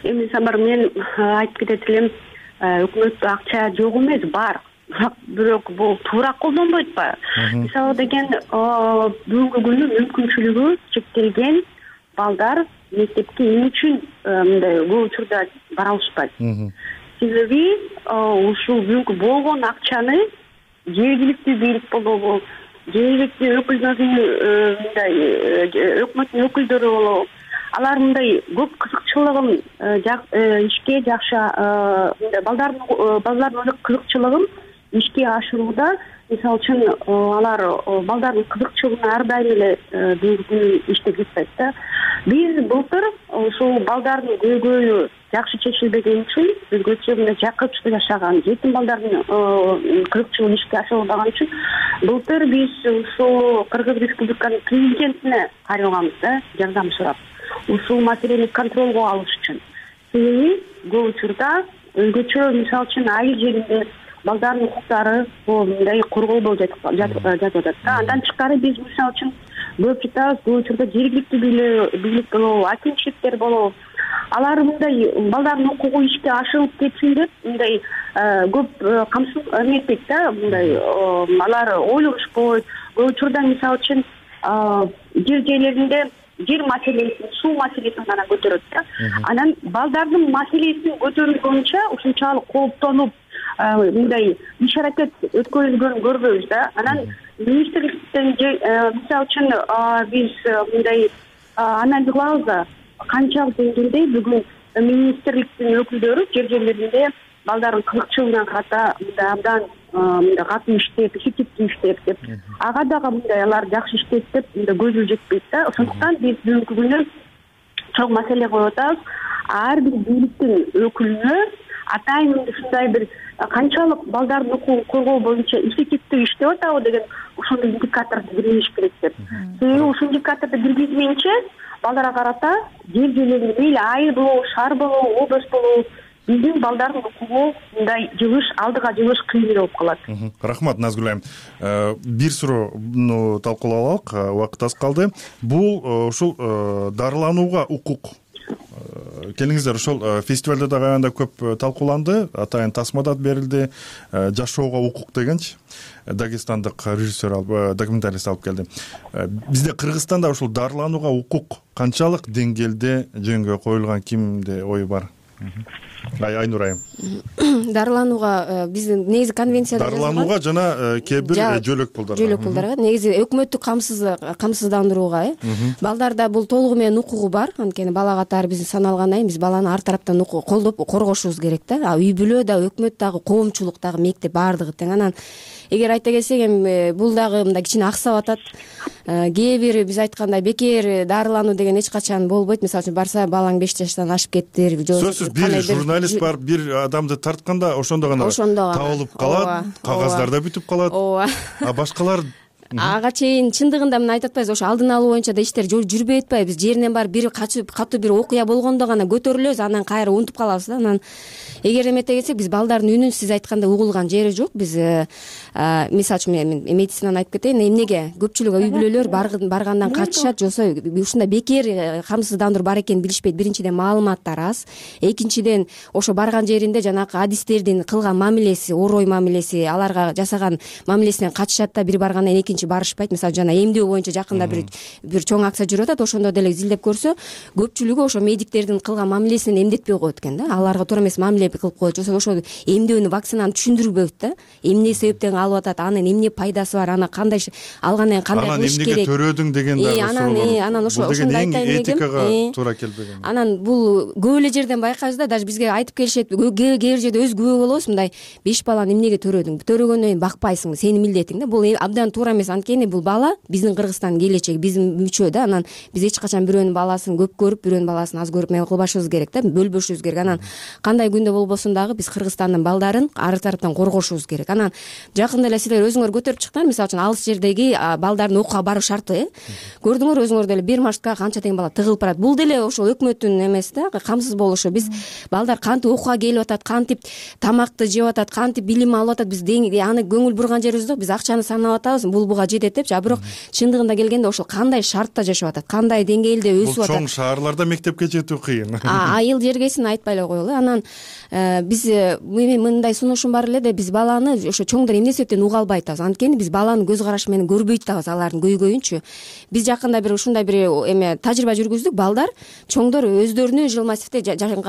Эми Самар, мен айтып кетет элем, өкмөттө акча жок эмес, бар. Бирок бул туура колдонбойт ба? Мисалы деген бүгүнкү күнү мүмкүнчүлүгү чектелген балдар мектепке эмне үчүн мындай көп учурда бара алышпайт? Себеби ушул бүгүнкү болгон акчаны жергиликтүү бийлик болобу, жергиликтүү өкмөттүн өкүлдөрү болобу, алар мындай көп кызыкчылыгын ишке жакшы балдардын кызыкчылыгын ишке ашырууда, мисалы үчүн алар балдардын кызыкчылыгына ар дайым эле бүгүнкү күнү иштеп жатпайт да. Биз былтыр ушул балдардын көйгөйү жакшы чечилбеген үчүн, өзгөчө мындай жакынча жашаган жетим балдардын кызыкчылыгын ишке ашырылбаган үчүн былтыр биз ушул Кыргыз Республиканын президентине кайрылганбыз да, жардам сурап. Ушул маселени контролго алыш үчүн. Себеби көп учурда өзгөчө мисалы үчүн айыл жеринде балдардын укуктары мындай корголбой жатып атат да. Андан тышкары биз мисалы үчүн көп жатабыз, көп учурда жергиликтүү бийлик болобу, акимчиликтер болобу, алар мындай балдардын укугу ишке ашырылып кетсин деп мындай көп камсыз эметпейт да, мындай алар ойлонушпойт. Көп учурда мисалы үчүн жер жерлеринде жер маселесин, суу маселесин гана көтөрөт да. Анан балдардын маселесин көтөрүлгөнчө ушунчалык кооптонуп мындай иш аракет өткөрүлгөнүн көрбөйбүз да. Анан министрликтен мисалы үчүн биз мындай анализ кылабыз да, канчалык деңгээлде бүгүн министрликтин өкүлдөрү жер жерлеринде балдардын кызыкчылыгына карата мындай абдан мындай катуу иштеп, эффективдүү иштеп деп, ага дагы мындай алар жакшы иштейт деп мындай көзү жетпейт да. Ошондуктан биз бүгүнкү күнү чоң маселе коюп атабыз. Ар бир бийликтин өкүлүнө атайын ушундай бир канчалык балдардын укугун коргоо боюнча эффективдүү иштеп атабы деген ошондой индикаторду киргизиш керек деп. Себеби ушул индикаторду киргизмейинче балдарга карата жер жерлеринде мейли айыл болобу, шаар болобу, область болобу биздин балдардын укугу мындай жылыш, алдыга жылыш кыйын болуп калат.
Рахмат, Назгүл айым. Бир суроону талкуулап алалык, убакыт аз калды. Бул ушул дарыланууга укук. Келиңиздер, ошол фестивалда дагы аябай көп талкууланды. Атайын тасмада берилди. Жашоого укук дегенчи дагестандык режиссер, документалист алып келди. Бизде Кыргызстанда ушул дарыланууга укук канчалык деңгээлде жөнгө коюлган, кимде ою бар? Айнур айым.
Дарыланууга биздин негизи конвенцияда
дарыланууга жана кээ бир жөлөк пулдарга
негизи өкмөттүк камсыздандырууга балдарда бул толугу менен укугу бар. Анткени бала катары биздин саналгандан кийин биз баланы ар тараптан колдоп коргошубуз керек да. Үй бүлө да, өкмөт дагы, коомчулук дагы, мектеп баардыгы тең. Анан эгер айта келсек эми бул дагы мындай кичине аксап атат. Кээ бир биз айткандай бекер дарылануу деген эч качан болбойт. Мисалы үчүн барса балаң 5 жаштан ашып кеттир.
Сөзсүз бир журналист бар, бир адамды тартканда ошондо гана табылып калат, кагаздарда бүтүп калат. А башкалар
ага чейин чындыгында мына айтып атпайбызбы, ошо алдын алуу боюнча да иштер жүрбөй атпайбы. Биз жеринен барып бир катуу бир окуя болгондо гана көтөрүлөбүз, анан кайра унутуп калабыз да. Анан эгер эмете келсек, биз балдардын үнүн сиз айткандай угулган жери жок. Биз мисалы үчүн мен медицинаны айтып кетейин, эмнеге көпчүлүк үй бүлөлөр баргандан качышат, жосо ушундай бекер камсыздандыруу бар экенин билишпейт. Биринчиден маалыматтар аз, экинчиден ошо барган жеринде жанагы адистердин кылган мамилеси, орой мамилеси, аларга жасаган мамилесинен качышат да, бир баргандан экинчи барышпайт. Мисалы жана эмдөө боюнча жакында бир чоң акция жүрүп атат, ошондо деле изилдеп көрсө, көпчүлүгү ошо медиктердин кылган мамилесинен эмдетпей коет экен да. Аларга туура эмес мамиле кылып коет, жосо ошо эмдөөнү, вакцинаны түшүндүрбөйт да. Эмне себептен алып атат, анын эмне пайдасы бар, аны кандай алгандан кийин кандай кылыш керек.
Анан эмнеге төрөдүң деген дагы
анан ошондой айтайын дегем.
Этикага туура келбеген.
Анан бул көп эле жерден байкайбыз да, даже бизге айтып келишет, кээ бир жерде өз күбө болобуз, мындай 5 баланы эмнеге төрөдүң? Төрөгөндөн кийин бакпайсың, сенин милдетиң да. Бул абдан туура эмес. Анткени бул бала биздин Кыргызстандын келечеги, биздин мүчө да. Анан биз эч качан бирөөнүн баласын көп көрүп, бирөөнүн баласын аз көрүп эме кылбашыбыз керек да, бөлбөшүбүз керек. Анан кандай күндө болбосун дагы биз Кыргызстандын балдарын ар тараптан коргошубуз керек. Анан жакында эле силер өзүңөр көтөрүп чыктыңар, мисалы үчүн алыс жердеги балдардын окууга баруу шарты, көрдүңөр өзүңөр деле, бир маршрутка канча тең бала тыгылып барат. Бул деле ошол өкмөттүн эмес да, камсыз болушу. Биз балдар кантип окууга келип атат, кантип тамакты жеп атат, кантип билим алып атат, биз аны көңүл бурган жерибиз жок. Биз акчаны санап атабыз, бул буга жетет депчи. А бирок чындыгында келгенде ошол кандай шартта жашап атат, кандай деңгээлде өсүп атат.
Бул чоң шаарларда мектепке жетүү кыйын.
Айыл жергесин айтпай эле коелу. Анан биз мындай сунушум бар эле да, биз баланы ошо чоңдор эмне себептен уга албай атабыз. Анткени биз баланын көз карашы менен көрбөй атабыз алардын көйгөйүнчү. Биз жакында бир ушундай бир эме тажрыйба жүргүздүк. Балдар, чоңдор өздөрүнүн жыл массивде жаңы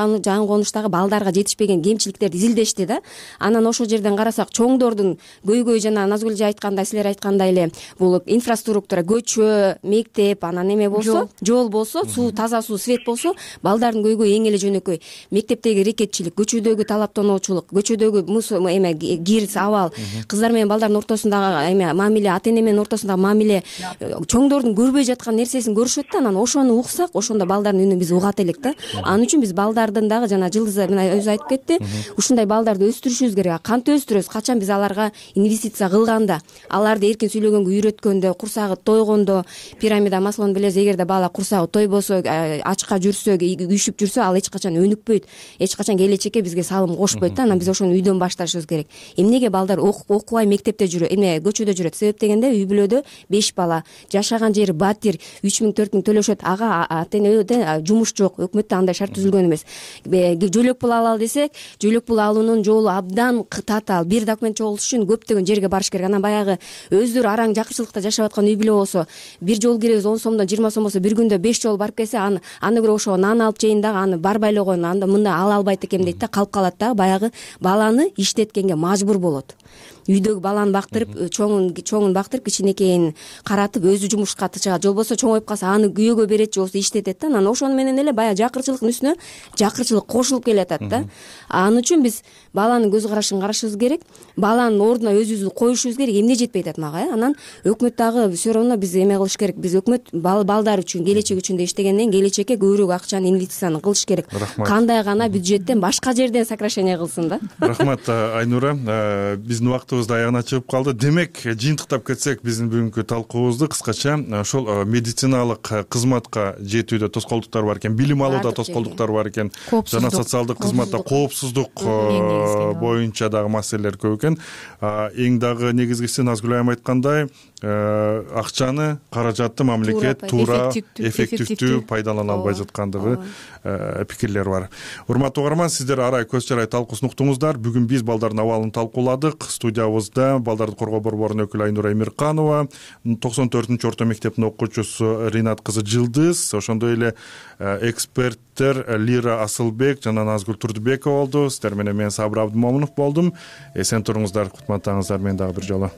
конуштагы балдарга жетишпеген кемчиликтерди изилдешти да. Анан ошол жерден карасак, чоңдордун көйгөйү жана Назгүл айткандай, силер айткандай эле, бул инфраструктура, көчө, мектеп, анан эме болсо, жол болсо, суу, таза суу, свет болсо, балдардын көйгөйү эң эле жөнөкөй. Мектептеги рекетчилик, көчөдөгү талаптоочулук, көчөдөгү эме кир, абал, кыздар менен балдардын ортосундагы эме мамиле, ата эне менен ортосундагы мамиле, чоңдордун көрбөй жаткан нерсесин көрүшөт да. Анан ошону уксак, ошондо балдардын үнүн биз угат элек да. Анын үчүн биз балдардын дагы жана Жылдыз мына өзү айтып кетти, ушундай балдарды өстүрүшүбүз керек. Кантип өстүрөбүз? Качан биз аларга инвестиция кылганда, аларды эркин сүйлөгөнгө үйрөткөндө, курсагы тойгондо, пирамида маслону билесиз, эгерде бала курсагы тойбосо, ачка жүрсө, күйшүп жүрсө, ал эч качан өнүкпөйт, эч качан келечекке бизге салым кошпойт да. Анан биз ошону үйдөн башташыбыз керек. Эмнеге балдар окубай мектепте жүрөт, көчөдө жүрөт? Себеп дегенде, үй бүлөдө 5 бала, жашаган жери батир, 3000-4000 төлөшөт. Ага ата энеде жумуш жок, өкмөттө андай шарт түзүлгөн эмес. Жөлөк пул алалы десек, жөлөк пул алуунун жолу абдан татаал. Бир документ чогултуш үчүн көптөгөн жерге барыш керек. Анан баягы өздөрү араң жакырчылыкта жашап аткан үй бүлө болсо, бир жол киребиз 10 сомдон 20 сом болсо, бир күндө 5 жол барып келсе, аны көрө ошо нан алып жейин дагы, аны барбай эле койгон, анда мында ала албайт экем дейт да, калып калат да. Баягы баланы иштеткенге мажбур болот. Үйдөгү баланы бактырып, чоңун бактырып, кичинекейин каратып, өзү жумушка чыгат. Же болбосо чоңоюп калса, аны күйөөгө берет, же болбосо иштетет да. Анан ошону менен эле баягы жакырчылыктын үстүнө жакырчылык кошулуп келатат да. Анын үчүн биз баланын көз карашын карашыбыз керек, баланын ордуна өзүбүздү коюшубуз керек. Эмне жетпей атат мага? Анан анан өкмөт дагы все равно биз эме кылыш керек. Биз өкмөт балдар үчүн, келечек үчүн деп иштегенден келечекке көбүрөөк акчаны, инвестицияны кылыш керек. Кандай гана бюджеттен башка жерден сокращение кылсын да.
Рахмат Айнура. Биздин убактыбыз да аягына чыгып калды. Демек, жыйынтыктап кетсек, биздин бүгүнкү талкуубузду кыскача ошол медициналык кызматка жетүүдө тоскоолдуктар бар экен, билим алууда тоскоолдуктар бар экен, жана социалдык кызматта коопсуздук боюнча дагы маселелер көп экен. Эң дагы негизгиси Назгүл айым айткандай, акчаны, каражатты мамлекет туура, эффективдүү пайдалана албай жаткандыгы пикирлер бар. Урматтуу угарман, сиздер арай көз чарай талкуусун уктуңуздар. Бүгүн биз балдардын абалын талкууладык. Студиябызда балдарды коргоо борборунун өкүлү Айнура Эмирканова, 94-орто мектептин окуучусу Ринат кызы Жылдыз, ошондой эле эксперттер Лира Асылбек жана Назгүл Турдубекова болду. Сиздер менен мен Сабыр Абдымомунов болдум. Эсен туруңуздар, кутматтаңыздар. Мен дагы бир жолу.